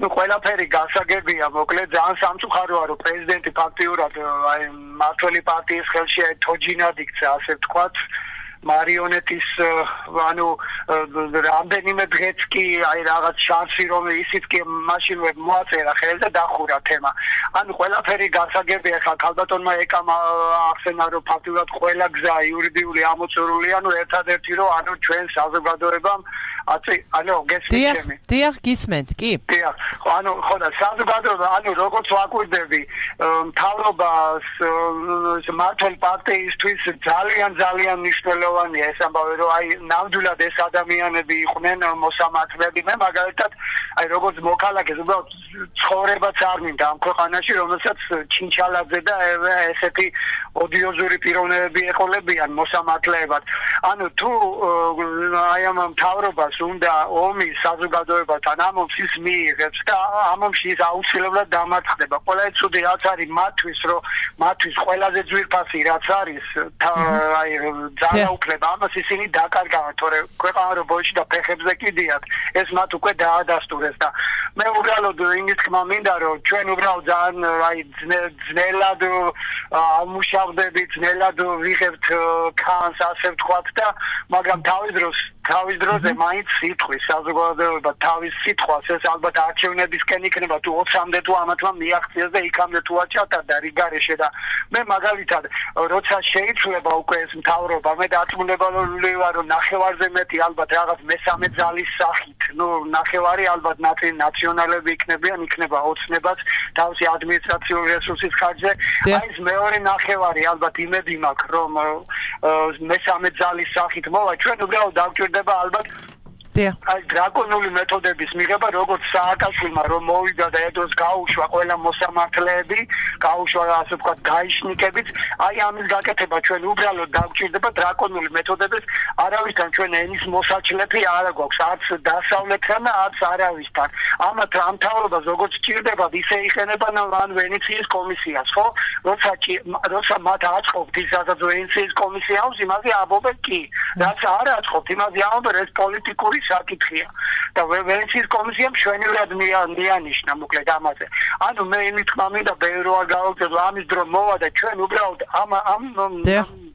ნუ ყველაფერი გასაგებია მოკლედ ძალიან სამწუხაროა რომ პრეზიდენტი ფაქტიურად აი მართველი პარტიის ხელში თოჯინად იქცა ასე ვთქვათ მარიონეტის ანუ რამდენიმე დღეც კი აი რაღაც შანსი რომ ისიც კი მაშინვე მოაწერა ხელი და დახურა თემა. ანუ ყველაფერი გასაგებია ხა ქალბატონმა ეკამა ახსენა რომ ფაქტიურად ყველა გზა იურიდიული ამოწურულია, ანუ ერთადერთი რომ ანუ ჩვენ საზოგადოებამ ანუ გესმით ჩემი. დიახ, გისმენთ, კი. დიახ. ანუ ხო და საზოგადოება ანუ როგორც ვაკვირდები მთავრობას მართლ პარტიისთვის ძალიან მნიშვნელოვანი მნიშვნელოვანია ეს ამბავი, რომ აი ნამდვილად ეს ადამიანები იყვნენ მოსამართლეები. მე მაგალითად აი როგორც მოქალაქეს უბრალოდ ცხოვრებაც არ მინდა ამ ქვეყანაში, რომელსაც ჩინჩალაძე და ესეთი ოდიოზური პიროვნებები ეყოლებიან მოსამართლეებად. ანუ თუ აი ამ მთავრობას უნდა ომი საზოგადოებასთან ამ ომს ის მიიღებს და ამ ომში ის აუცილებლად დამარცხდება. ყველა ცუდი რაც არის მათთვის ყველაზე ძვირფასი რაც არის აი ძალაუფლება ამას ისინი დაკარგავენ, თორემ ქვეყანა რო ბოიში და ფეხებზე კიდიათ, ეს მათ უკვე დაადასტურეს და მე უბრალოდ იმის თქმა მინდა რომ ჩვენ უბრალოდ ძალიან აი ძნელად ამუშავდებით, ძნელად ვიღებთ ქანს, ასე ვთქვათ და მაგრამ თავის დროზე მაინც სიტყვის საზოგადოება თავის სიტყვას ეს ალბათ არჩევნებისკენ იქნება თუ 20-მდე თუ ამათმა მიაღწიეს და იქამდე თუ აჩატარდა რიგარეშე და მე მაგალითად როცა შეიცვლება უკვე ეს მთავრობა მე დარწმუნებული ვარ რომ ნახევარზე მეტი ალბათ რაღაც მესამე ძალის სახით ნახევარი ალბათ ნაციონალები იქნება ოცნებას თავისი ადმინისტრაციული რესურსის ხარჯზე აი ეს მეორე ნახევარი ალბათ იმედი მაქვს რომ მესამე ძალის სახით მოვა ჩვენ უბრალოდ დავჭირდება ალბათ აი დრაკონული მეთოდების მიღება როგორც სააკაშვილმა რომ მოვიდა და ედოს გაუშვა ყველა მოსამართლეები გაუშვა ასე ვთქვათ გაიშნიკებით აი ამის გაკეთება ჩვენ უბრალოდ დავჭირდება დრაკონული მეთოდების არავისთან ჩვენ ენის მოსაჩლეფი არ გვაქვს არც დასავლეთთან და არც არავისთან ამათ ამ მთავრობას როგორც ჭირდება ისე იყენებენ ან ვენეციის კომისიას ხო როცა მათ აწყობთ ის სადაც ვენეციის კომისია აქვს იმაზე ამბობენ კი რაც არ აწყობთ იმაზე ამბობენ ეს პოლიტიკური საკითხია და ვენეციის კომისიამ შვენივრად მიანიშნა მოკლედ ამაზე. ანუ მე იმით თქმა მინდა ბევრი არ გავაკეთო ამის დრო მოვა და ჩვენ უბრალოდ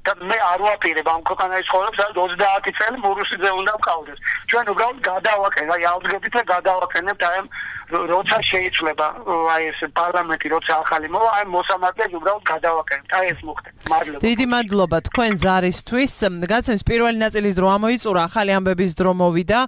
და მე არ ვაპირებ ამ ქვეყანაში ცხოვრობს 30 წელი მურუსიძე უნდა მყავდეს. ჩვენ უბრალოდ გადავაკეთებთ, აი ავდგებით და გადავაკეთებთ აი როცა შეიცვლება აი ეს პარლამენტი როცა ახალი მოვა აი მოსამართლეს უბრალოდ გადავაკეთებთ. აი ეს მოხდება. მადლობა. დიდი მადლობა თქვენ ზარისთვის. გაცემს პირველი ნაწილის დრო ამოიწურა, ახალი ამბების დრო მოვიდა.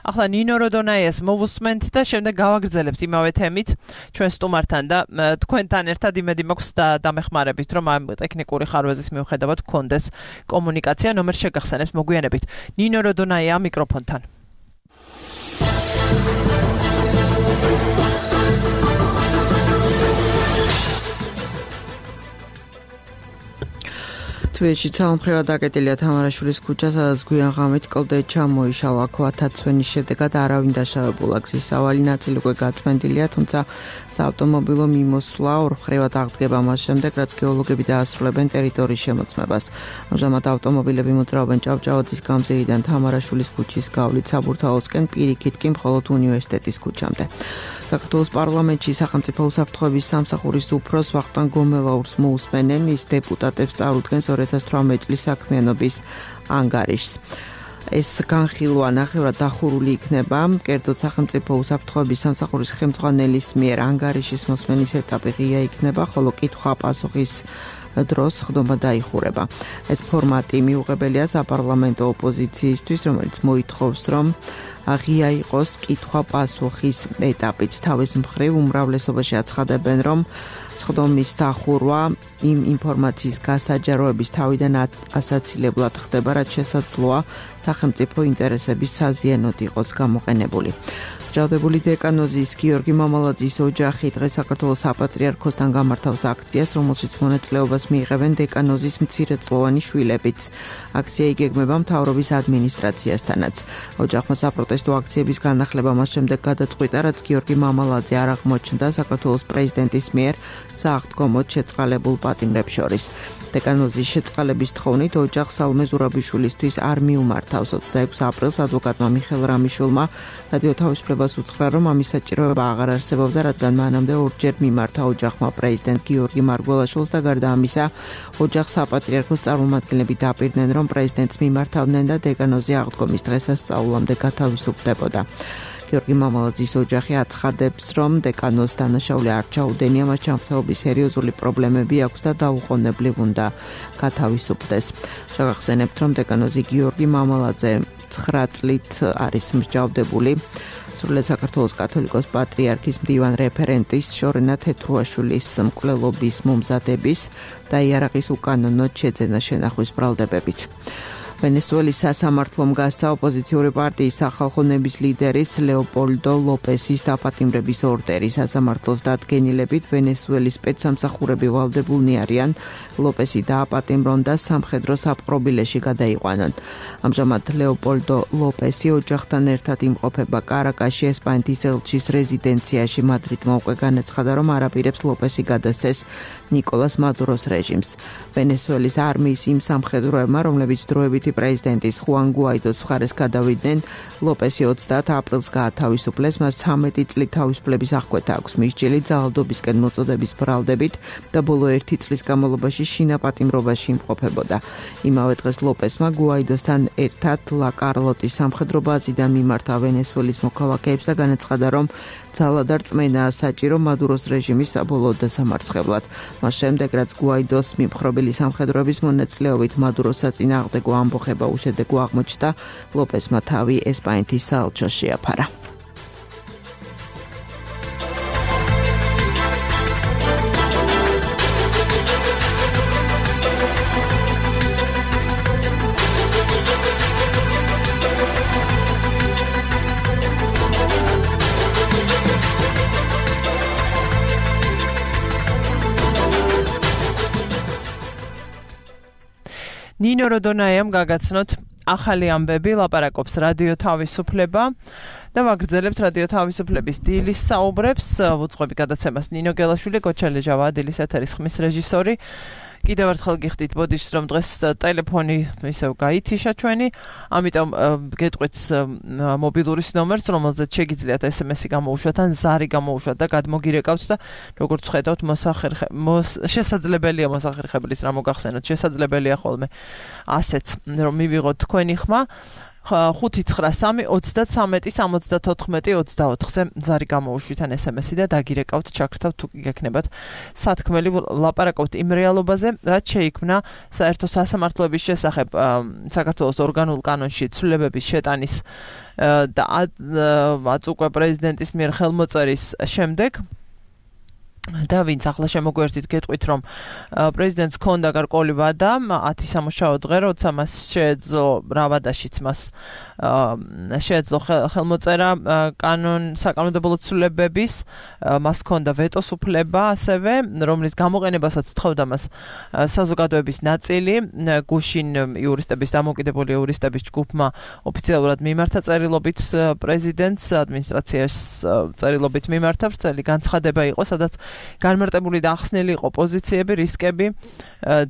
ახლა ნინო როდონაიას მოვუსმენთ და შემდეგ გავაგრძელებთ იმავე თემით ჩვენ სტუმართან და თქვენთან ერთად იმედი მაქვს და დამეხმარებით რომ ამ ტექნიკური ხარვეზის მიუხედავად გქონდეს კომუნიკაცია. ნომერ შეგახსენებთ მოგვიანებით. ნინო როდონაია მიკროფონთან. თვეში ცალმხრივად დაკეტილია თამარაშვილის ქუჩა, სადაც გვიან ღამით კლდე ჩამოიშალა. ათათცვენის შედეგად არავინ დაშავებულა. გზის სავალი ნაწილი უკვე გაწმენდილია, თუმცა საავტომობილო მიმოსვლა ორმხრივად აღდგება მას შემდეგ, რაც გეოლოგები დაასრულებენ ტერიტორიის შემოწმებას. ამჟამად ავტომობილები მოძრაობენ ჭავჭავაძის გამზირიდან თამარაშვილის ქუჩის გავლით საბურთალოსკენ, პირიქით კი მხოლოდ უნივერსიტეტის ქუჩამდე. საქართველოს პარლამენტში სახელმწიფო უსაფრთხოების სამსახურის უფროს ვახტანგ გომელაურს მოусმენენ, ის დეპუტატებს წარუდგენს 2018 წლის საქმიანობის ანგარიშს. ეს განხილვა ნახევრად დახურული იქნება, კერძოდ სახელმწიფო უსაფრთხოების სამსახურის ხელმძღვანელის მიერ ანგარიშის მოსმენის ეტაპი ღია იქნება, ხოლო კითხვა-პასუხის დროს ხდომა დაიხურება. ეს ფორმატი მიუღებელია საპარლამენტო ოპოზიციისთვის, რომელიც მოითხოვს, რომ ღია იყოს კითხვა-პასუხის ეტაპიც. თავის მხრივ უმრავლესობაში აცხადებენ, რომ სხდომის დახურვა იმ ინფორმაციის გასაჯაროების თავიდან ასაცილებლად ხდება, რაც შესაძლოა სახელმწიფო ინტერესების საზიანოდ იყოს გამოყენებული. ჭავდებული დეკანოზის გიორგი მამალაძის ოჯახი დღეს საქართველოს საპატრიარქოსთან გამართავს აქციას, რომელშიც მონაწილეობას მიიღებენ დეკანოზის მცირეწლოვანი შვილებიც. აქცია იგეგმება მთავრობის ადმინისტრაციასთანაც. ოჯახმა საპროტესტო აქციების განახლება მას შემდეგ გადაწყვიტა, რაც გიორგი მამალაძე არ აღმოჩნდა საქართველოს პრეზიდენტის მიერ სააღდგომოდ შეწყალებულ პატიმრებს შორის. დეკანოზის შეწყალების თხოვნით ოჯახს სალმე ზურაბიშვილისთვის არ მიუმართავს. 26 აპრილს ადვოკატმა მიხეილ რამიშვილმა რადიო თავისუფლებას უთხრა, რომ ამის საჭიროება აღარ არსებობდა, რადგან მანამდე ორჯერ მიმართა ოჯახმა პრეზიდენტ გიორგი მარგველაშვილს და გარდა ამისა, ოჯახს საპატრიარქოს წარმომადგენლები დაპირდნენ, რომ პრეზიდენტს მიმართავდნენ და დეკანოზი აღდგომის დღესასწაულამდე გათავისუფლდებოდა. გიორგი მამალაძის ოჯახი აცხადებს, რომ დეკანოს დანაშაული არ ჩაუდენია, მას ჩამქრალობის სერიოზული პრობლემები აქვს და დაუყოვნებლივ უნდა გათავისუფლდეს. შეგახსენებთ, რომ დეკანოზი გიორგი მამალაძე 9 წლით არის მსჯავრდებული. სრულიად საქართველოს კათოლიკოს პატრიარქის მდივან რეფერენტის შორენა თეთრუაშვილის მკვლელობის მომზადების და იარაღის უკანონოდ შეძენა შენახვის ბრალდებებით. ვენესუელის სასამართლომ გასცა ოპოზიციური პარტიის სახალხო ნების ლიდერის ლეოპოლდო ლოპესის დაპატიმრების ორდერი. სასამართლოს დადგენილებით ვენესუელის სპეცსამსახურები ვალდებულნი არიან ლოპესი დააპატიმრონ და სამხედრო საპყრობილეში გადაიყვანონ. ამჟამად ლეოპოლდო ლოპესი ოჯახთან ერთად იმყოფება კარაკაში, ესპანეთის ელჩის რეზიდენციაში. მადრიდმა უკვე განაცხადა, რომ არაპირებს ლოპესი გადასცეს ნიკოლას მადუროს რეჟიმს. ვენესუელის არმიის იმ სამხედროებმა, რომლებიც დროებითი პრეზიდენტის ხუან გუაიდოს მხარეს გადავიდნენ, ლოპესი 30 აპრილს გაათავისუფლეს, მას 13 წლით თავისუფლების აღკვეთა აქვს. მის ჯილი ძალადობისკენ მოწოდების ბრალდებით და ბოლო 1 წლის განმავლობაში შინაპატიმრობაში იმყოფებოდა. იმავე დღეს ლოპესმა გუაიდოსთან ერთად ლა კარლოტის სამხედრო ბაზიდან მიმართა ვენესუელის მოქალაქეებს და განაცხადა, რომ ძალა და რწმენაა საჭირო მადუროს რეჟიმის საბოლოო დასამარცხებლად. მას შემდეგ, რაც გუაიდოს მიმხრობელი სამხედროების მონაწილეობით მადუროს საწინააღმდეგო ამბოხება უშედეგო აღმოჩნდა, ლოპესმა თავი ესპანეთის საელჩოს შეაფარა. ნინო როდონაიამ გაგაცნოთ ახალი ამბები, ლაპარაკობს რადიო თავისუფლება და ვაგრძელებთ რადიო თავისუფლების დილის საუბრებს. უწყობი გადაცემას ნინო გელაშვილი, გოჩალე ჟავა, დილის ეთერის ხმის რეჟისორი. კიდევ ერთხელ გიხდით ბოდიშს, რომ დღეს ტელეფონი ისევ გაითიშა ჩვენი, ამიტომ გეტყვით მობილურის ნომერს, რომელზეც შეგიძლიათ SMS-ი გამოუშვათ ან ზარი გამოუშვათ და გადმოგირეკავთ და როგორც ხედავთ, შესაძლებელია მოსახერხებლის რა მოგახსენოთ, შესაძლებელია ხოლმე ასეც, რომ მივიღოთ თქვენი ხმა. 593-33-74-24-ზე ზარი გამოუშვით ან SMS-ი და დაგირეკავთ, ჩაგრთავთ თუ გექნებათ სათქმელი, ლაპარაკობთ იმ რეალობაზე, რაც შეიქმნა საერთო სასამართლოების შესახებ საქართველოს ორგანულ კანონში ცვლილებების შეტანის და აწუყვე პრეზიდენტის მიერ ხელმოწერის შემდეგ. და ვინც ახლა შემოგვერთით გეტყვით, რომ პრეზიდენტს ჰქონდა გარკვეული ვადა 10 სამუშაო დღე, როცა მას შეეძლო რავადაშიც მას შეეძლო ხელმოწერა საკანონმდებლო ცვლილებების, მას ჰქონდა ვეტოს უფლება ასევე, რომლის გამოყენებასაც თხოვდა მას საზოგადოების ნაწილი, გუშინ იურისტების დამოუკიდებელი იურისტების ჯგუფმა ოფიციალურად მიმართა წერილობით პრეზიდენტს, ადმინისტრაციას წერილობით მიმართა, ვრცელი განცხადება იყო, სადაც განმარტებული და ახსნილი იყო პოზიციები, რისკები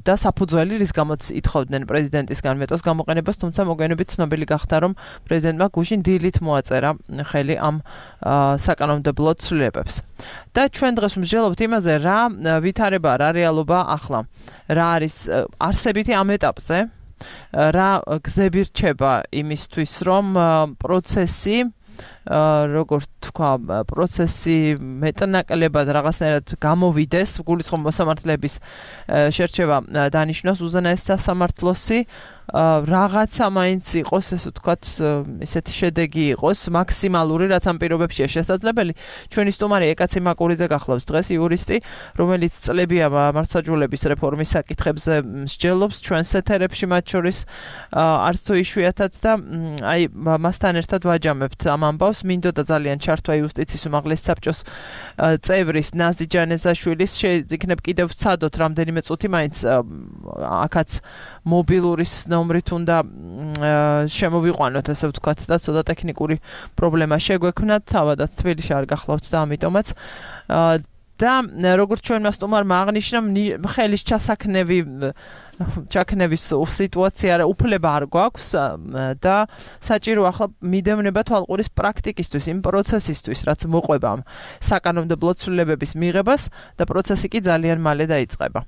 და საფუძველი, რის გამოც ითხოვდნენ პრეზიდენტისგან ვეტოს გამოყენებას, თუმცა მოგვიანებით ცნობილი გახდა, რომ პრეზიდენტმა გუშინ დილით მოაწერა ხელი ამ საკანონმდებლო ცვლილებებს. და ჩვენ დღეს მსჯელობთ იმაზე, რა ვითარება, რა რეალობა ახლა, რა არის არსებითი ამ ეტაპზე, რა გზები რჩება იმისთვის, რომ პროცესი როგორც თქვა, პროცესი მეტნაკლებად რაღაცნაირად გამოვიდეს, გულისხმობ მოსამართლეების შერჩევა დანიშნოს უზენაეს სასამართლოსი, რაღაცა მაინც იყოს, ესე ვთქვათ, ისეთი შედეგი იყოს, მაქსიმალური, რაც ამ პირობებშია შესაძლებელი. ჩვენი სტუმარი ეკაცი მაკურიძე გახლავს დღეს, იურისტი, რომელიც წლებია მართლმსაჯულების რეფორმის საკითხებზე მსჯელობს ჩვენს ეთერებში, მათ შორის არც თუ იშვიათად და აი მასთან ერთად ვაჯამებთ ამ ამბავს. მინდოდა ძალიან ჩართვა იუსტიციის უმაღლესი საბჭოს წევრის ნაზი ჯანეზაშვილის, შეიძინებ კიდევ ვცადოთ რამდენიმე წუთი მაინც აქაც მობილურის ნომრით უნდა შემოვიყვანოთ, ასე ვთქვათ, და ცოტა ტექნიკური პრობლემა შეგვექმნათ, თავადაც თბილისში არ გახლავთ და ამიტომაც და როგორც ჩვენმა სტუმარმა აღნიშნა, ხელის ჩაქნევის სიტუაცია უფლება არ გვაქვს და საჭირო ახლა მიდევნება თვალყურის პრაქტიკისთვის, იმ პროცესისთვის, რაც მოყვება საკანონმდებლო ცვლილებების მიღებას და პროცესი კი ძალიან მალე დაიწყება.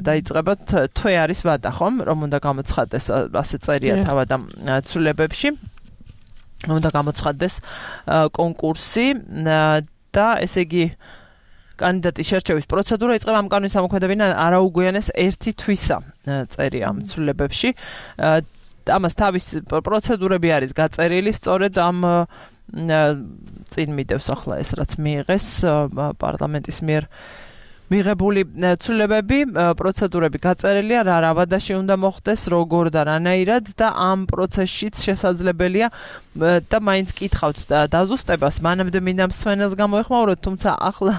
დაიწყება თვე არის ვადა, ხომ, რომ უნდა გამოცხადდეს, ასე წერია თავად ამ ცვლილებებში, უნდა გამოცხადდეს კონკურსი და ესე იგი კანდიდატის შერჩევის პროცედურა იწყება ამ კანონის ამოქმედებიდან არაუგვიანეს 1 თვისა წერია ამ ცვლილებებში. ამას თავის პროცედურები არის გაწერილი, სწორედ ამ წინ მიდევს ახლა ეს რაც მიიღეს პარლამენტის მიერ მიღებული ცვლილებები, პროცედურები გაწერილია, რა ვადაში უნდა მოხდეს, როგორ და რანაირად და ამ პროცესშიც შესაძლებელია და მაინც კითხავთ დაზუსტებას, მანამდე მინდა მსმენელს გამოეხმაუროთ, თუმცა ახლა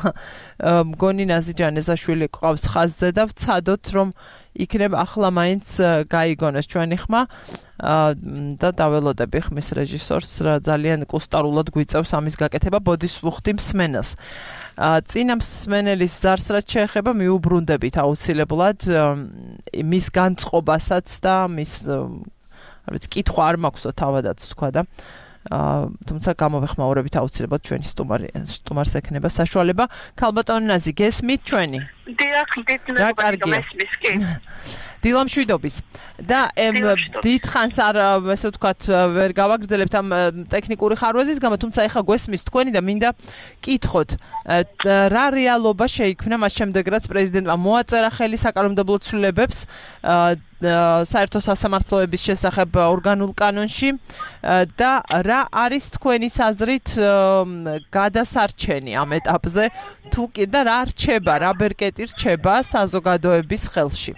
მგონი ნაზი ჯანეზაშვილი ყავს ხაზზე და ვცადოთ, რომ იქნებ ახლა მაინც გაიგონეს ჩვენი ხმა და დაველოდები ხმის რეჟისორს ძალიან კუსტარულად გვიწევს ამის გაკეთება, ბოდის ვუხდი მსმენელს. წინა მსმენელის ზარს რაც შეეხება მიუბრუნდებით აუცილებლად მის განწყობასაც და მის არის კითხვა არ მაქვსო თავადაც თქვა და თუმცა გამოვეხმაურებით აუცილებლად ჩვენი სტუმარს ექნება საშუალება. ქალბატონი ნაზი, გესმით ჩვენი? დიახ, მესმის კი. დილამშვიდობის და დიდხანს არ ესე ვთქვათ ვერ გავაგრძელებთ ამ ტექნიკური ხარვეზის გამო, თუმცა ეხა გვესმის თქვენი და მინდა კითხოთ რა რეალობა შეიქმნა მას შემდეგ რაც პრეზიდენტმა მოაწერა ხელი საკანონმდებლო ცვლილებებს საერთო სასამართლოების შესახებ ორგანულ კანონში და რა არის თქვენი აზრით გადასარჩენი ამ ეტაპზე თუ კი და რა რჩება, რა ბერკეტი რჩება საზოგადოების ხელში?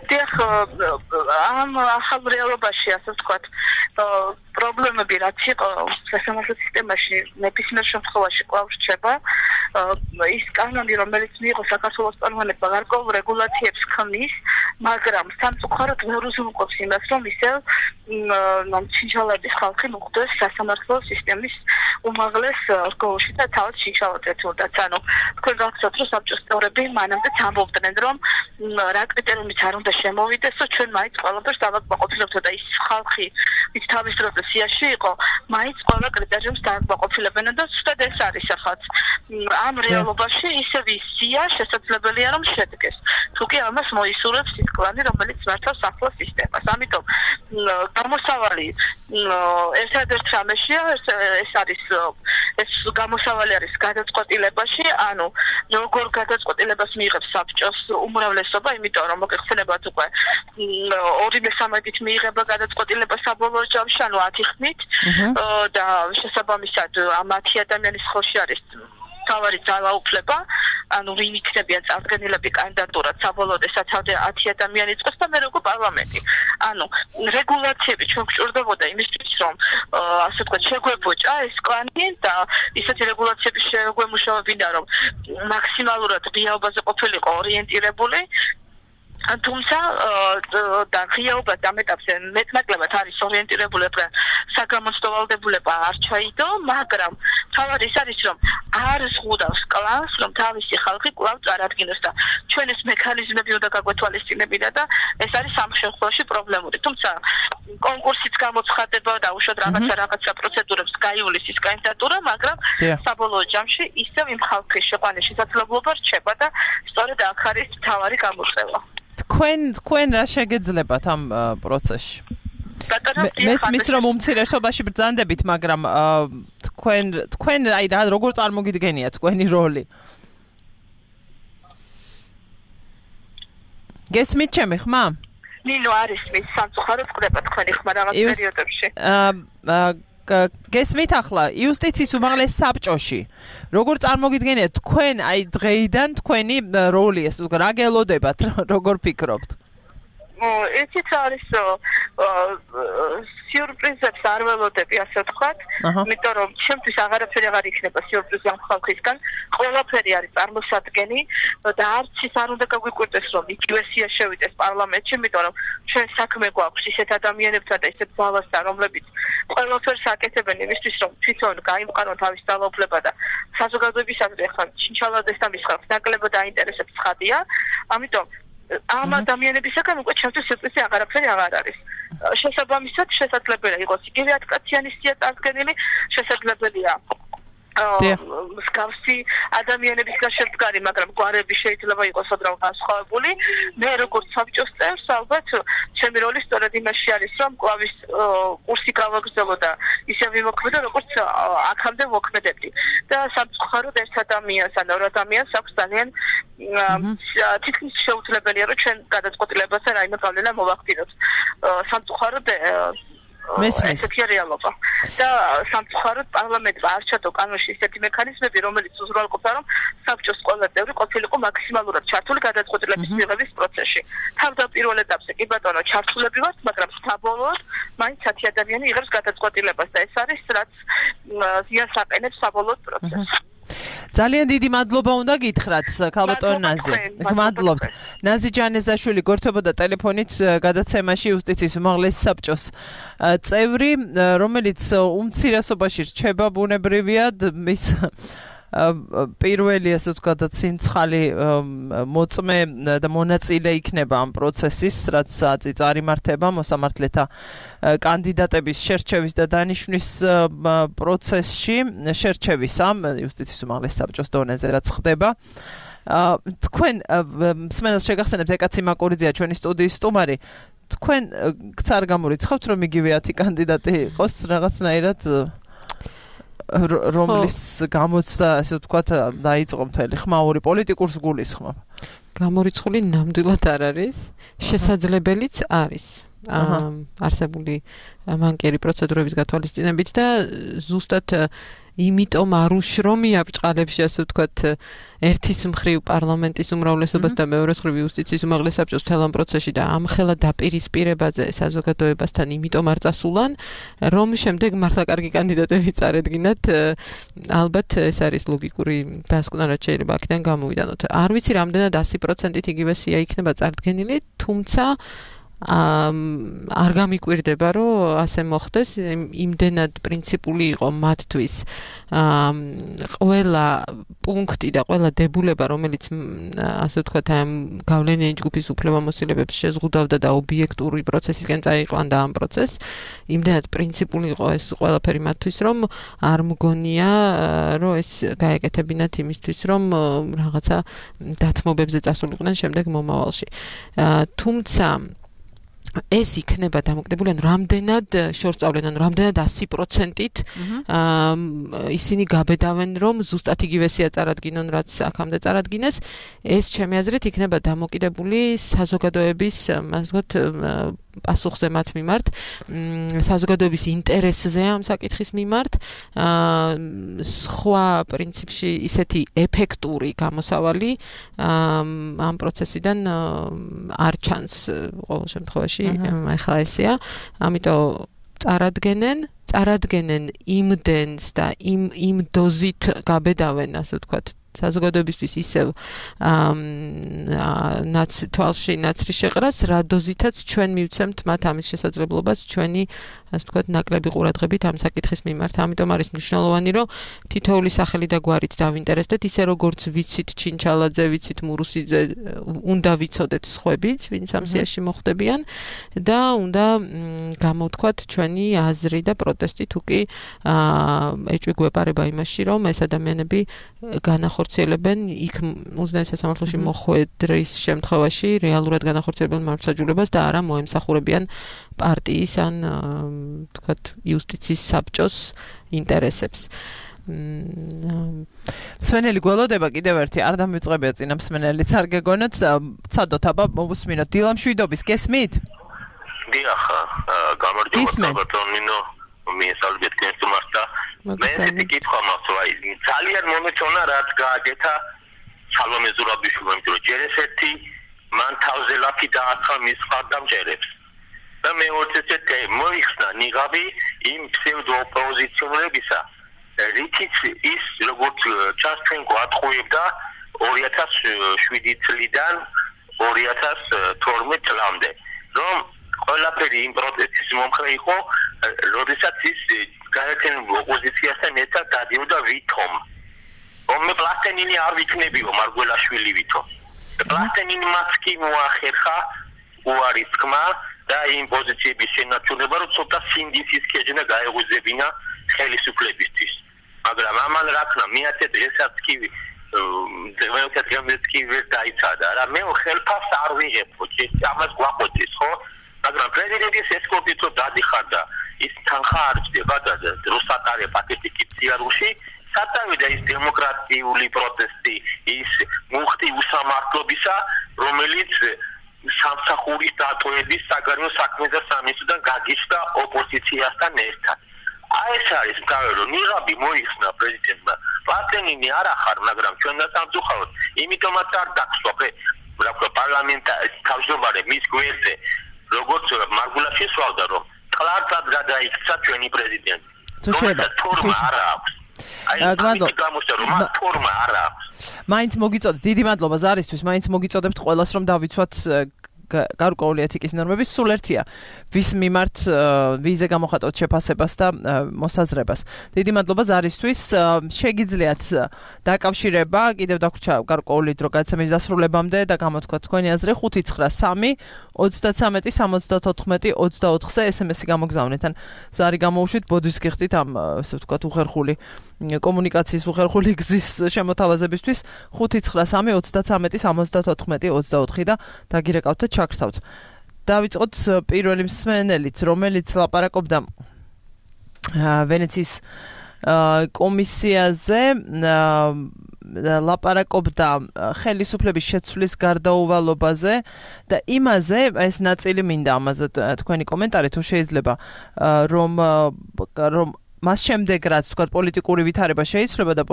დიახ, ამ ახალ რეალობაში ასე ვთქვათ, პრობლემები რაც იყო სასამართლო სისტემაში ნებისმიერ შემთხვევაში კვლავ რჩება. ის კანონი, რომელიც მიიღო საქართველოს პარლამენტმა გარკვეულ რეგულაციებს ქმნის, მაგრამ სამწუხაროდ ვერ უზრუნველყოფს იმას, რომ ისევ ჩინჩალების ხალხი მოხვდეს სასამართლო სისტემის უმაღლეს რგოლში და თავად ჩინჩალად ეთურდათ. ანუ თქვენ გახსოვთ, რომ საბჭოს წევრები მანამდე ამბობდნენ, რომ რა კრიტერიუმით არ უნდა შემოვიდეს, ჩვენ მაინც ყველაფერს დავაკმაყოფილებთ და ის ხალხი, ვინც თავის დროზე სიაში იყო, მაინც ყველა კრიტერიუმს დავაკმაყოფილებენ და ზუსტად ეს არის ახაც. ამ რეალობაში ისევ ის სია შესაძლებელია რომ შედგეს. თუკი ამას მოისურვებს ის კლანი, რომელიც მართავს ახლა სისტემას. ამიტომ გამოსავალი ერთადერთ რამეშია, ეს არის ეს გამოსავალი არის გადაწყვეტილებაში, ანუ როგორ გადაწყვეტილებას მიიღებს საბჭოს უმრავლესობა, იმიტომ რომ მოგეხსენებათ უკვე 2/3-ით მიიღება გადაწყვეტილება საბოლოო ჯამში, ანუ 10 ხმით და შესაბამისად ამ 10 ადამიანის ხელში არის თავარი ძალაუფლება, ანუ ვინ იქნებიან წარდგენილები კანდიდატურად საბოლოოდ ესაცავდა 10 ადამიანი წყოს და მე როგორ პარლამენტი. ანუ რეგულაციები ჩვენ გვჭირდებოდა იმისთვის, რომ ასე ვთქვათ, შეგვებოჭა ეს კლანი და ისეთი რეგულაციები შეგვემუშავებინა, რომ მაქსიმალურად ღიაობაზე ყოფილიყო ორიენტირებული. თუმცა და ღიაობას ამ ეტაპზე მეტნაკლებად არის ორიენტირებული და საგამოცდავალდებულება არ ჩაიდო, მაგრამ თავად ის არის, რომ არ ზღუდავს კლანს, რომ თავისი ხალხი კვლავ წარადგინოს და ჩვენ ეს მექანიზმები უნდა გაგვეთვალისწინებინა და ეს არის ამ შემთხვევაში პრობლემური. თუმცა კონკურსიც გამოცხადება და უშუალოდ რაღაცა პროცედურებს გაივლის ის კანდიდატურა, მაგრამ საბოლოო ჯამში ისევ იმ ხალხის შეყვანის შესაძლებლობა რჩება და სწორედ აქ არის მთავარი გამოწვევა. თქვენ რა შეგეძლებათ ამ პროცესში? მესმის რომ უმცირესობაში ბრძანდებით, მაგრამ თქვენ აი რა როგორ წარმოგიდგენია თქვენი როლი? გესმით ჩემი ხმა? ნინო არის მის სამწუხაროდ ყდება თქვენი ხმა რაღაც პერიოდებში. გესმით ახლა იუსტიციის უმაღლეს საბჭოში როგორ წარმოგიდგენიათ თქვენ აი დღეიდან თქვენი როლი ეს რა გელოდებათ როგორ ფიქრობთ? ესეც არის სიურპრიზებს არ ველოდები ასე ვთქვათ, იმიტომ რომ ჩემთვის აღარაფერი აღარ იქნება სიურპრიზი ამ ხალხისგან, ყველაფერი არის წარმოსადგენი და არც ის არ უნდა გაგვიკვირდეს რომ იგივე სია შევიდეს პარლამენტში, იმიტომ რომ ჩვენ საქმე გვაქვს ისეთ ადამიანებთან და ისეთ ძალასთან, რომლებიც ყველაფერს აკეთებენ იმისთვის, რომ თვითონ გაიმყარონ თავის ძალაუფლება და საზოგადოებისადმი ახლა ჩინჩალადეს და მის ხალხს ნაკლებად აინტერესებს ცხადია, ამიტომ ამ ადამიანებისაგან უკვე ჩემთვის სიურპრიზი აღარაფერი აღარ არის. შესაბამისად შესაძლებელია იყოს იგივე 10 კაციანი სია წარდგენილი, შესაძლებელია მსგავსი ადამიანებისგან შემდგარი, მაგრამ გვარები შეიძლება იყოს უბრალოდ განსხვავებული. მე როგორც საბჭოს წევრს ალბათ ჩემი როლი სწორედ იმაში არის, რომ კვლავის კურსი გავაგრძელო და ისე ვიმოქმედო, როგორც აქამდე მოქმედებდი. და სამწუხაროდ ერთ ადამიანს ან ორ ადამიანს აქვს ძალიან თითქმის შეუძლებელია, რომ ჩვენ გადაწყვეტილებასთან რაიმე გავლენა მოვახდინოთ. სამწუხაროდ ესეთი რეალობა. და სამწუხაროდ პარლამენტმა არ ჩადო კანონში ისეთი მექანიზმები, რომელიც უზრუნველყოფდა, რომ საბჭოს ყველა წევრი ყოფილიყო მაქსიმალურად ჩართული გადაწყვეტილების მიღების პროცესში. თავდაპირველ ეტაპზე კი ბატონო ჩართულები ვართ, მაგრამ საბოლოოდ მაინც 10 ადამიანი იღებს გადაწყვეტილებას და ეს არის რაც ზიანს აყენებს საბოლოოდ პროცესს. ძალიან დიდი მადლობა უნდა გითხრათ ქალბატონ ნაზი. გმადლობთ. ნაზი ჯანეზაშვილი გორთებოდა ტელეფონით გადაცემაში იუსტიციის უმაღლესი საბჭოს წევრი, რომელიც უმცირესობაში რჩება ბუნებრივია მის პირველი ასე ვთქვათ ცინცხალი მოწმე და მონაწილე იქნება ამ პროცესის, რაც წარიმართება მოსამართლეთა კანდიდატების შერჩევის და დანიშვნის პროცესში, შერჩევისა იუსტიციის უმაღლეს საბჭოს დონეზე რაც ხდება. თქვენ მსმენელს შეგახსენებთ ეკაცი მაკურიძეა ჩვენი სტუდიის სტუმარი. თქვენ გცარ გამორიცხავთ რომ იგივე 10 კანდიდატი იყოს რაღაცნაირად რომლის გამოცდა ასე ვთქვათ დაიწყო მთელი ხმაური პოლიტიკურს გულისხმობ. გამორიცხული ნამდვილად არ არის, შესაძლებელიც არის. არსებული მანკიერი პროცედურების გათვალისწინებით და ზუსტად იმიტომ არ უშრომია ბჭყალებში ასე ვთქვათ ერთის მხრივ პარლამენტის უმრავლესობას და მეორეს მხრივ იუსტიციის უმაღლეს საბჭოს მთელ ამ პროცესში და ამხელა დაპირისპირებაზე საზოგადოებასთან იმიტომ არ წასულან რომ შემდეგ მართლა კარგი კანდიდატები წარედგინათ ალბათ ეს არის ლოგიკური დასკვნა რაც შეიძლება აქედან გამოვიდანოთ არ ვიცი რამდენად 100%-ით იგივე სია იქნება წარდგენილი თუმცა არ გამიკვირდება რომ ასე მოხდეს იმდენად პრინციპული იყო მათთვის ყველა პუნქტი და ყველა დებულება რომელიც ასე ვთქვათ ამ გავლენიანი ჯგუფის უფლებამოსილებებს შეზღუდავდა და ობიექტური პროცესისკენ წაიყვანდა ამ პროცესს იმდენად პრინციპული იყო ეს ყველაფერი მათთვის რომ არ მგონია რომ ეს გაეკეთებინათ იმისთვის რომ რაღაცა დათმობებზე წასულიყვნენ შემდეგ მომავალში თუმცა ეს იქნება დამოკიდებული ან რამდენად შორწავლენ ან რამდენად 100%-ით ისინი გაბედავენ რომ ზუსტად იგივე სია წარადგინონ რაც აქამდე წარადგინეს ეს ჩემი აზრით იქნება დამოკიდებული საზოგადოების ასე ვთქვათ პასუხზე მათ მიმართ საზოგადოების ინტერესზე ამ საკითხის მიმართ სხვა პრინციპში ისეთი ეფექტური გამოსავალი ამ პროცესიდან არ ჩანს ყოველ შემთხვევაში ახლა ესეა ამიტომ წარადგენენ იმდენს და იმ დოზით გაბედავენ ასე ვთქვათ საზოგადოებისთვის ისევ თვალში ნაცრის შეყრას რა დოზითაც ჩვენ მივცემთ მათ ამის შესაძლებლობას ჩვენი ასე ვთქვათ ნაკლები ყურადღებით ამ საკითხის მიმართ ამიტომ არის მნიშვნელოვანი რომ თითოეული სახელი და გვარით დავინტერესდეთ ისე როგორც ვიცით ჩინჩალაძე ვიცით მურუსიძე უნდა ვიცოდეთ სხვებიც ვინც ამ სიაში მოხვდებიან და უნდა გამოვთქვათ ჩვენი აზრი და პროტესტი თუკი ეჭვი გვეპარება იმაში რომ ეს ადამიანები განახორციელებენ იქ უზენაეს სასამართლოში მოხვედრის შემთხვევაში რეალურად განახორციელებენ მართლმსაჯულებას და არა მოემსახურებიან პარტიის ან თქვათ იუსტიციის საბჭოს ინტერესებს. მსმენელი გველოდება კიდევ ერთი არ დამიწყებია წინა მსმენელიც არ გეგონოთ ცადოთ აბა მოვუსმინოთ დილამ შვიდობის გესმით? დიახ გამარჯობა ბატონინო მიესალმებით გესმართა მე ესეთი კითხვა მაქვს ძალიან მომეწონა რაც გააკეთა სალომე ზურაბიშვილმა იმიტომ ჯერ ესეთი მან თავზე ლაფი დააცხა მის მხარდამჭერებს და მეორე ესეთი მოიხსნა ნიღაბი იმ ფსევდოოპოზიციონერებისა რითიც ის როგორც ჩანს თქვენ გვატყუებდა 2007 წლიდან 2012 წლამდე რომ ყველაფერი იმ პროტესტის მომხრე იყო როდესაც ის გაერთიანებულ ოპოზიციასთან ერთად დადიოდა ვითომ რომ პლატენინი არ ვიქნებიო მარგველაშვილი ვითომ პლატენინმაც კი მოახერხა უარი თქმა და იმ პოზიციების შენარჩუნება რომ ცოტა სინდისის ქეჯნა გაეღვიძებინა ხელისუფლებისთვის მაგრამ ამან რა თქმა მეათე დღესაც კი მეათე დღესაც კი ვერ დაიცადა რა მე ხელფას არ ვიღებ ხო ამას გვაყოდეს ხო მაგრამ პრეზიდენტის ესკორტით რომ დადიხარდა ის თანხა არ ჭდება და რუსატარე პაკეტი კიციარუში სათავიდა ის დემოკრატიული პროტესტი ის მუხტი უსამართლობისა რომელიც სამსახურის დატოვების საგარეო საქმეთა სამინისტროდან გაგიჩნდა ოპოზიციასთან ერთად. ეს არის მთავარი რომ ნიღაბი მოიხსნა პრეზიდენტმა. პლატენინი არ ახარ, მაგრამ ჩვენ დასამწუხაროდ, იმიტომაც არ დაგსვა პარლამენტის თავმჯდომარე მის გვერდზე, როგორც მარგულა შესვავდა, რომ კლარკად გადაიქცა ჩვენი პრეზიდენტი. თორმა არ აქვს. მაინც მოგიწოდეთ, დიდი მადლობა ზარისთვის, მაინც მოგიწოდებთ ყველას რომ დავიცვათ გარკვეული ეთიკის ნორმების, სულ ერთია ვის მიმართ ვიზე გამოხატოთ შეფასებას და მოსაზრებას. დიდი მადლობა ზარისთვის. შეგიძლიათ დაკავშირება, კიდევ დაგვრჩა გარკვეული დრო გადაცემის დასრულებამდე და გამოთქვათ თქვენი აზრი 593 33 74 24-ზე SMS-ი გამოგზავნეთ. ან ზარი გამოუშვით, ბოდის გიხდით ამ ასე ვთქვათ უხერხული კომუნიკაციის უხერხული გზის შემოთავაზებისთვის 593 33 74 24 და დაგირეკავთ და ჩაგრთავთ. დავიწყოთ პირველი მსმენელით, რომელიც ლაპარაკობდა ვენეციის კომისიაზე, ლაპარაკობდა ხელისუფლების შეცვლის გარდაუვალობაზე და იმაზე, ეს ნაწილი მინდა ამაზე თქვენი კომენტარი თუ შეიძლება, რომ მას შემდეგ რაც თქვა პოლიტიკური ვითარება შეიცვლება და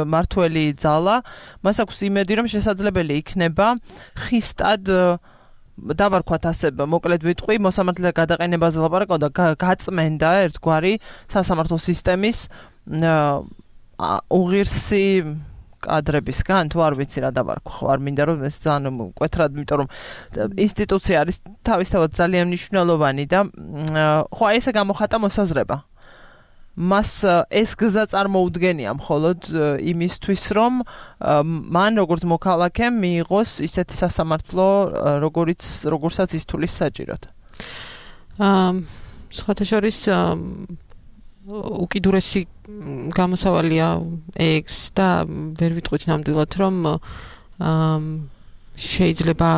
მართველი ძალა, მას აქვს იმედი, რომ შესაძლებელი იქნება ხისტად დავარქვათ ასე, მოკლედ ვიტყვი, მოსამართლეთა გადაყენებაზე ლაპარაკობდა გაწმენდა ერთგვარი სასამართლო სისტემის უღირსი კადრებისგან, თუ არ ვიცი რა დავარქვი, არ მინდა რომ ეს ძალიან მკვეთრად, იმიტომ რომ ინსტიტუცია არის თავისთავად ძალიან მნიშვნელოვანი და ხო ესე გამოხატა მოსაზრება. მას ეს გზა წარმოუდგენია მხოლოდ იმისთვის, რომ მან როგორც მოქალაქემ მიიღოს ისეთი სასამართლო, როგორცაც ის თulis საჭიროდ. სხვათა შორის უკიდურესი გამოსავალია ეგს და ვერ ვიტყვით ნამდვილად, რომ შეიძლება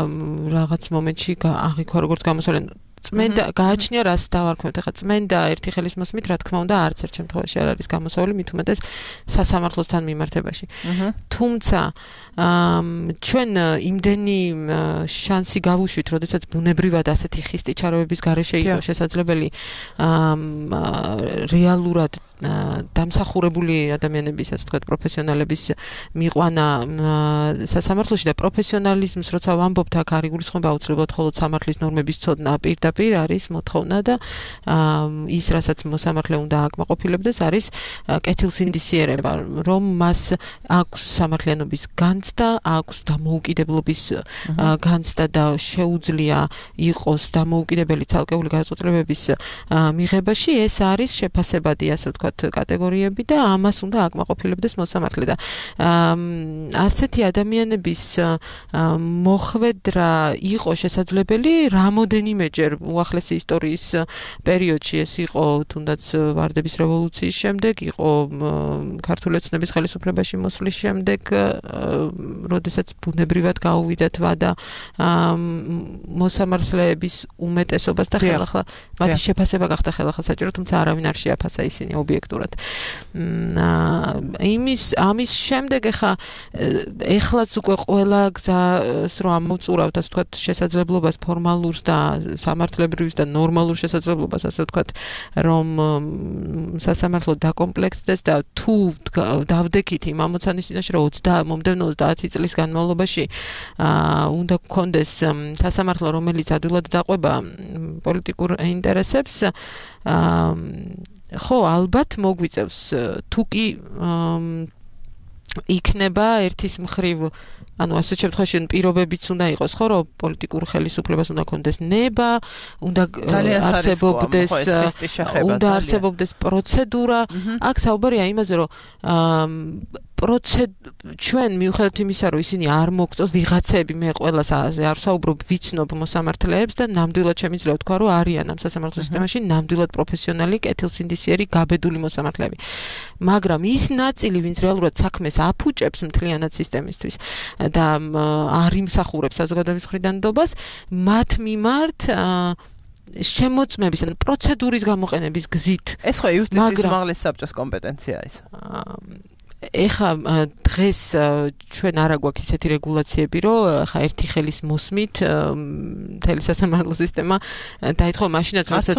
რაღაც მომენტში აღიქვა როგორც გამოსავალი წმენდა გააჩნია რას დავარქვევთ ახლა წმენდა ერთი ხელის მოსმით რა თქმა უნდა არც ერთ შემთხვევაში არ არის გამოსავალი მით უმეტეს სასამართლოსთან მიმართებაში თუმცა ჩვენ იმდენი შანსი გავუშვით როდესაც ბუნებრივად ასეთი ხისტი ჩარევების გარეშე იყო შესაძლებელი რეალურად დამსახურებული ადამიანების ასე ვთქვათ პროფესიონალების მიყვანა სასამართლოში და პროფესიონალიზმს როცა ვამბობთ აქ არ იგულისხმება აუცილებლად მხოლოდ სამართლის ნორმების ცოდნა პირდაპირ არის მოთხოვნა და ის რასაც მოსამართლე უნდა აკმაყოფილებდეს არის კეთილსინდისიერება რომ მას აქვს სამართლიანობის განცდა აქვს დამოუკიდებლობის განცდა და შეუძლია იყოს დამოუკიდებელი ცალკეული გადაწყვეტილებების მიღებაში ეს არის შეფასებადი ასე ვთქვათ კატეგორიები და ამას უნდა აკმაყოფილებდეს მოსამართლე და ასეთი ადამიანების მოხვედრა იყო შესაძლებელი რამოდენიმეჯერ უახლესი ისტორიის პერიოდში ეს იყო თუნდაც ვარდების რევოლუციის შემდეგ იყო ქართული ოცნების ხელისუფლებაში მოსვლის შემდეგ როდესაც ბუნებრივად გაუვიდათ ვადა მოსამართლეების უმეტესობას და ხელახლა მათი შეფასება გახდა ხელახლა საჭირო თუმცა არავინ არ შეაფასა ისინი ობიექტურად ამის შემდეგ ეხლაც უკვე ყველა გზას რომ ამოვწურავთ ასე ვთქვათ შესაძლებლობას ფორმალურს და სამართლებრივს და ნორმალურ შესაძლებლობას ასე ვთქვათ რომ სასამართლო დაკომპლექსდეს და თუ დავდექით იმ ამოცანის წინაშე რომ მომდევნო 30 წლის განმავლობაში უნდა გქონდეს სასამართლო რომელიც ადვილად დაყვება პოლიტიკურ ინტერესებს ხო ალბათ მოგვიწევს თუ კი იქნება ერთის მხრივ ანუ ასე შემთხვევაში პირობებიც უნდა იყოს ხო რომ პოლიტიკურ ხელისუფლებას უნდა ქონდეს ნება უნდა არსებობდეს პროცედურა აქ საუბარია იმაზე რომ ჩვენ მიუხედავად იმისა რომ ისინი არ მოგწონს ვიღაცები მე ყველას არ საუბრობ ვიცნობ მოსამართლეებს და ნამდვილად შემიძლია ვთქვა რომ არიან ამ სასამართლო სისტემაში ნამდვილად პროფესიონალი კეთილსინდისიერი გაბედული მოსამართლეები მაგრამ ის ნაწილი ვინც რეალურად საქმეს აფუჭებს მთლიანად სისტემისთვის და არ იმსახურებს საზოგადოების მხრიდან ნდობას მათ მიმართ შემოწმების ან პროცედურის გამოყენების გზით ეს ხო იუსტიციის უმაღლესი საბჭოს კომპეტენცია ის ეხა დღეს ჩვენ არ აგვაქვს ისეთი რეგულაციები, რომ ხა ერთი ხელის მოსმით მთელი სასამართლო სისტემა დაითხოვა მაშინაც როდესაც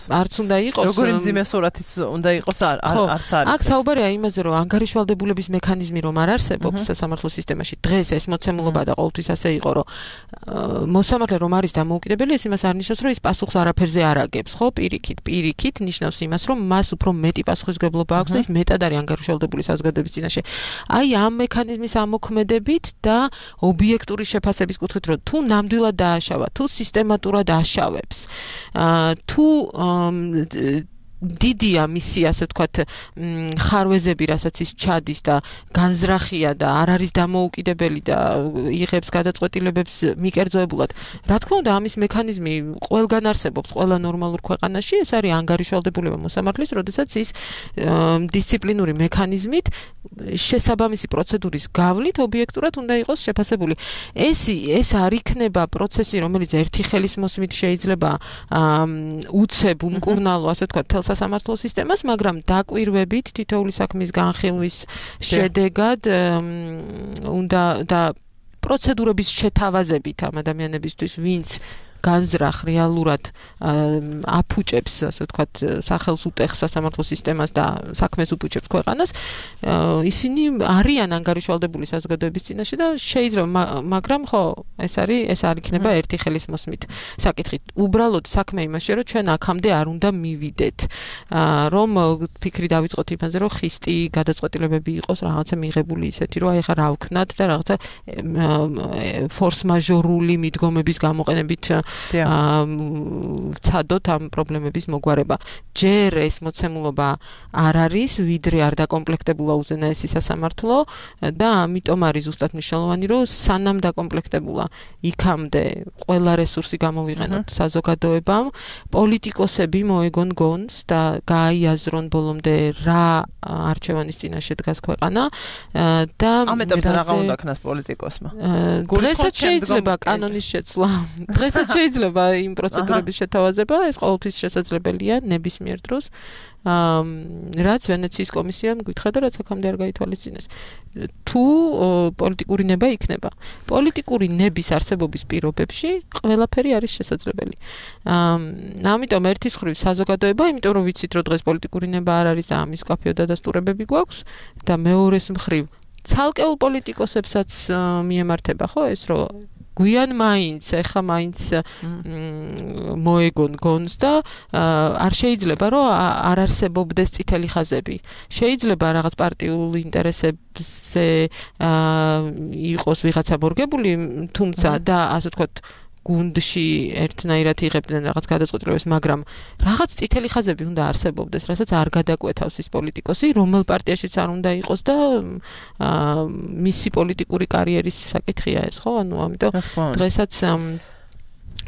არც უნდა იყოს როგორი მძიმე სურათიც უნდა იყოს არც არის აქ საუბარია იმაზე რომ ანგარიშვალდებულების მექანიზმი რომ არ არსებობს სასამართლო სისტემაში დღეს ეს მოცემულობა და ყოველთვის ასე იყო რომ მოსამართლე რომ არის დამოუკიდებელი ეს იმას არ ნიშნავს რომ ის პასუხს არაფერზე არ აგებს ხო პირიქით ნიშნავს იმას რომ მას უფრო მეტი პასუხისმგებლობა აქვს და ის მეტად არის ანგარიშვალდებული საზოგადოების წინაშე აი ამ მექანიზმის ამოქმედებით და ობიექტური შეფასების კუთხით რომ თუ ნამდვილად დააშავა თუ სისტემატურად აშავებს თუ დიდია მისი ასე ვთქვათ ხარვეზები რასაც ის ჩადის და განზრახია და არ არის დამოუკიდებელი და იღებს გადაწყვეტილებებს მიკერძოებულად რა თქმა უნდა ამის მექანიზმი ყველგან არსებობს ყველა ნორმალურ ქვეყანაში ეს არის ანგარიშვალდებულება მოსამართლის როდესაც ის დისციპლინური მექანიზმით შესაბამისი პროცედურის გავლით ობიექტურად უნდა იყოს შეფასებული ეს არ იქნება პროცესი რომელიც ერთი ხელის მოსმით შეიძლება უცებ უმკურნალო ასე ვთქვათ სასამართლო სისტემას, მაგრამ დაკვირვებით თითოეული საქმის განხილვის შედეგად უნდა და პროცედურების შეთავაზებით ამ ადამიანებისთვის, ვინც განზრახ რეალურად აფუჭებს, ასე ვთქვათ, სახელს უტეხს სასამართლო სისტემას და საქმეს უფუჭებს ქვეყანას, ისინი არიან ანგარიშვალდებული საზოგადოების წინაშე და შეიძლება, მაგრამ ხო, ეს არ იქნება ერთი ხელის მოსმით საკითხით. უბრალოდ საქმე იმაშია, რომ ჩვენ აქამდე არ უნდა მივიდეთ, რომ ფიქრი დავიწყოთ იმაზე, რომ ხისტი გადაწყვეტილებები იყოს რაღაცა მიღებული ისეთი, რომ აი ხა რა ვქნათ და რაღაცა ფორს მაჟორული მიდგომების გამოყენებით ვცადოთ ამ პრობლემების მოგვარება. ჯერ ეს მოცემულობა არ არის, ვიდრე არ დაკომპლექტებულა უზენაესი სასამართლო და ამიტომ არის ზუსტად მნიშვნელოვანი, რომ სანამ დაკომპლექტებულა, იქამდე ყველა რესურსი გამოვიყენოთ საზოგადოებამ, პოლიტიკოსები მოეგონ გონს და გაიაზრონ ბოლომდე რა არჩევანის წინაშე დგას ქვეყანა და ამიტომ რა უნდა ქნას პოლიტიკოსმა. დღესაც შეიძლება კანონის შეცვლა. დღესაც შეიძლება იმ პროცედურების შეთავაზება, ეს ყოველთვის შესაძლებელია ნებისმიერ დროს. რაც ვენეციის კომისიამ გითხრა და რაც აქამდე არ გაითვალისწინეს. თუ პოლიტიკური ნება იქნება. პოლიტიკური ნების არსებობის პირობებში ყველაფერი არის შესაძლებელი. ამიტომ ერთის მხრივ საზოგადოება, იმიტომ რომ ვიცით, რომ დღეს პოლიტიკური ნება არ არის და ამის კაფეო დადასტურებები გვაქვს და მეორეს მხრივ ცალკეულ პოლიტიკოსებსაც მიემართება, ხო, ეს რომ გვიან მაინც, ეხა მაინც მოეგონ გონს და არ შეიძლება რომ არ არსებობდეს წითელი ხაზები. შეიძლება რაღაც პარტიულ ინტერესებზე იყოს ვიღაცა მორგებული, თუმცა და ასე ვთქვათ გუნდში ერთნაირად იღებდნენ რაღაც გადაწყვეტილებებს, მაგრამ რაღაც წითელი ხაზები უნდა არსებობდეს, რასაც არ გადაკვეთავს ის პოლიტიკოსი, რომელ პარტიაშიც არ უნდა იყოს და მისი პოლიტიკური კარიერის საკითხია ეს, ხო? ანუ ამიტომ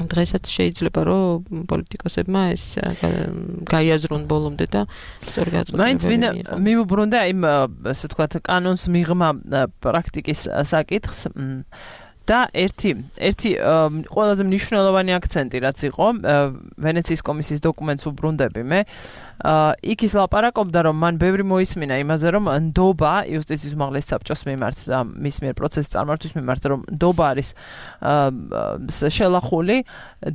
დღესაც შეიძლება რომ პოლიტიკოსებმა ეს გაიაზრონ ბოლომდე და სწორი გადაწყვეტილებები მიიღონ. მაინც მივუბრუნდა იმ ასე ვთქვათ კანონს მიღმა პრაქტიკის საკითხს და ერთი ყველაზე მნიშვნელოვანი აქცენტი რაც იყო ვენეციის კომისიის დოკუმენტს უბრუნდები მე იქ ის ლაპარაკობდა რომ მან ბევრი მოისმინა იმაზე რომ ნდობა იუსტიციის უმაღლეს საბჭოს მიმართ და მის მიერ პროცესის წარმართვის მიმართ რომ ნდობა არის შელახული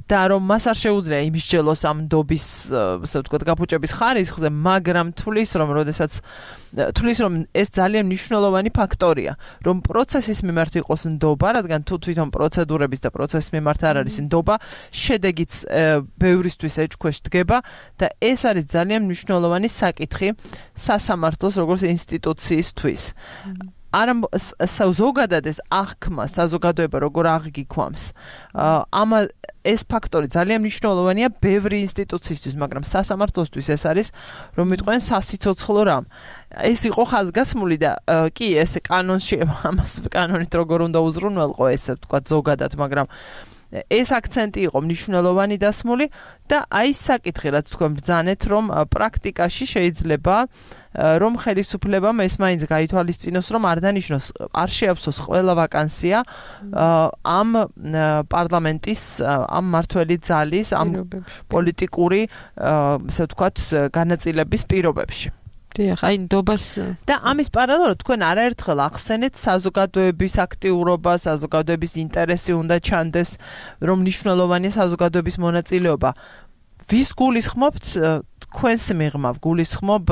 და რომ მას არ შეუძლია იმსჯელოს ამ ნდობის ასე ვთქვათ გაფუჭების ხარისხზე მაგრამ თulis რომ ეს ძალიან მნიშვნელოვანი ფაქტორია რომ პროცესის მიმართ იყოს ნდობა რადგან თუ თვითონ პროცედურების და პროცესის მიმართ არ არის ნდობა შედეგიც ბევრისთვის ეჭქვეშ დგება და ეს არის ძალიან მნიშვნელოვანი საკითხი სასამართლოს როგორც ინსტიტუციისთვის არა ზოგადად ეს აღქმა საზოგადოება როგორ აღგიქვამს ეს ფაქტორი ძალიან მნიშვნელოვანია ბევრი ინსტიტუციისთვის მაგრამ სასამართლოსთვის ეს არის რომ მიტყვენ სასიცოცხლო რამ ეს იყო ხაზგასმული და კი ეს კანონში ამას კანონით როგორ უნდა უზრუნველყო ესე ვთქვათ ზოგადად მაგრამ ეს აქცენტი იყო მნიშვნელოვანი დასმული და აი საკითხი რაც თქვენ ბრძანეთ რომ პრაქტიკაში შეიძლება რომ ხელისუფლებამ ეს მაინც გაითვალისწინოს რომ არ დანიშნოს არ შეავსოს ყველა ვაკანსია ამ პარლამენტის ამ მმართველი ძალის ამ პოლიტიკური ასე ვთქვათ განაწილების პირობებში დიახ, აი ნდობას და ამის პარალელურად თქვენ არაერთხელ ახსენეთ საზოგადოების აქტიურობა, საზოგადოების ინტერესი უნდა ჩანდეს, რომ მნიშვნელოვანია საზოგადოების მონაწილეობა. ვის გულისხმობთ თქვენს მიღმა? გულისხმობ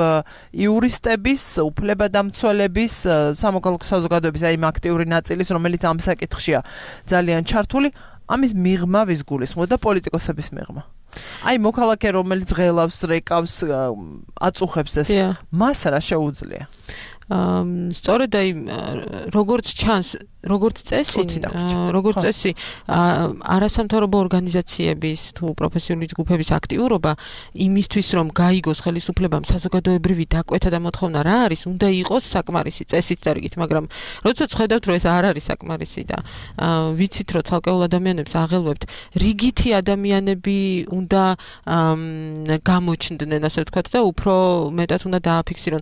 იურისტების, უფლებადამცველების, სამოქალაქო საზოგადოების აი აქტიური ნაწილის, რომელიც ამ საკითხშია ძალიან ჩართული, ამის მიღმა ვის გულისხმობ და პოლიტიკოსების მიღმა? აი მოქალაქე რომელიც ღელავს, რეკავს, აწუხებს ეს, მას რა შეუძლია? სწორედ აი როგორც ჩანს, როგორც წესი, არასამთავრობო ორგანიზაციების თუ პროფესიული ჯგუფების აქტიურობა იმისთვის, რომ გაიგოს ხელისუფლებამ საზოგადოებრივი დაკვეთა და მოთხოვნა რა არის, უნდა იყოს საკმარისი წესით დარიგით, მაგრამ როდესაც ხედავთ, რომ ეს არ არის საკმარისი და ვიცით, რომ ცალკეულ ადამიანებს აღელვებთ, რიგითი ადამიანები უნდა გამოჩნდნენ, ასე ვთქვათ და უფრო მეტად უნდა დააფიქსირონ.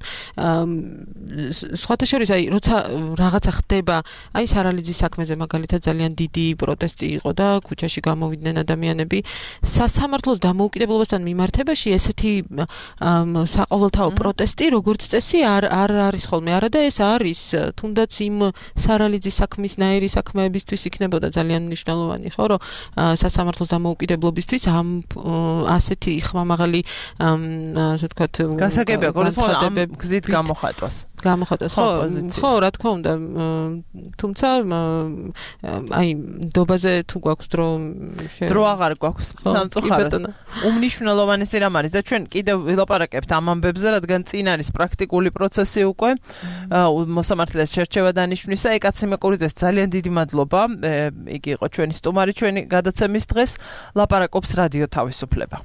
სხვათა შორის აი როცა რაღაცა ხდება, აი სარალიძის საქმეზე მაგალითად ძალიან დიდი პროტესტი იყო და ქუჩაში გამოვიდნენ ადამიანები. სასამართლოს დამოუკიდებლობასთან მიმართებაში ესეთი საყოველთაო პროტესტი, როგორც წესი, არ არის ხოლმე. არა და ეს არის თუნდაც იმ სარალიძის საქმისნაირი საქმეებისთვის იქნებოდა ძალიან მნიშვნელოვანი, ხო, რომ სასამართლოს დამოუკიდებლობისთვის ამ ასეთი ხმამაღალი ასე ვთქვათ გასაგებია, რომ გზით გამოხატვას. ხო, რა თქმა უნდა, თუმცა აი ნდობაზე თუ გვაქვს დრო აღარ გვაქვს სამწუხაროდ. უმნიშვნელოვანესი რამ არის და ჩვენ კიდევ ვილაპარაკებთ ამ ამბებზე, რადგან წინ არის პრაქტიკული პროცესი უკვე მოსამართლეს შერჩევა დანიშვნისა. ეკაცი მეკურიძეს ძალიან დიდი მადლობა. იგი იყო ჩვენი სტუმარი ჩვენი გადაცემის დღეს. ლაპარაკობს რადიო თავისუფლება.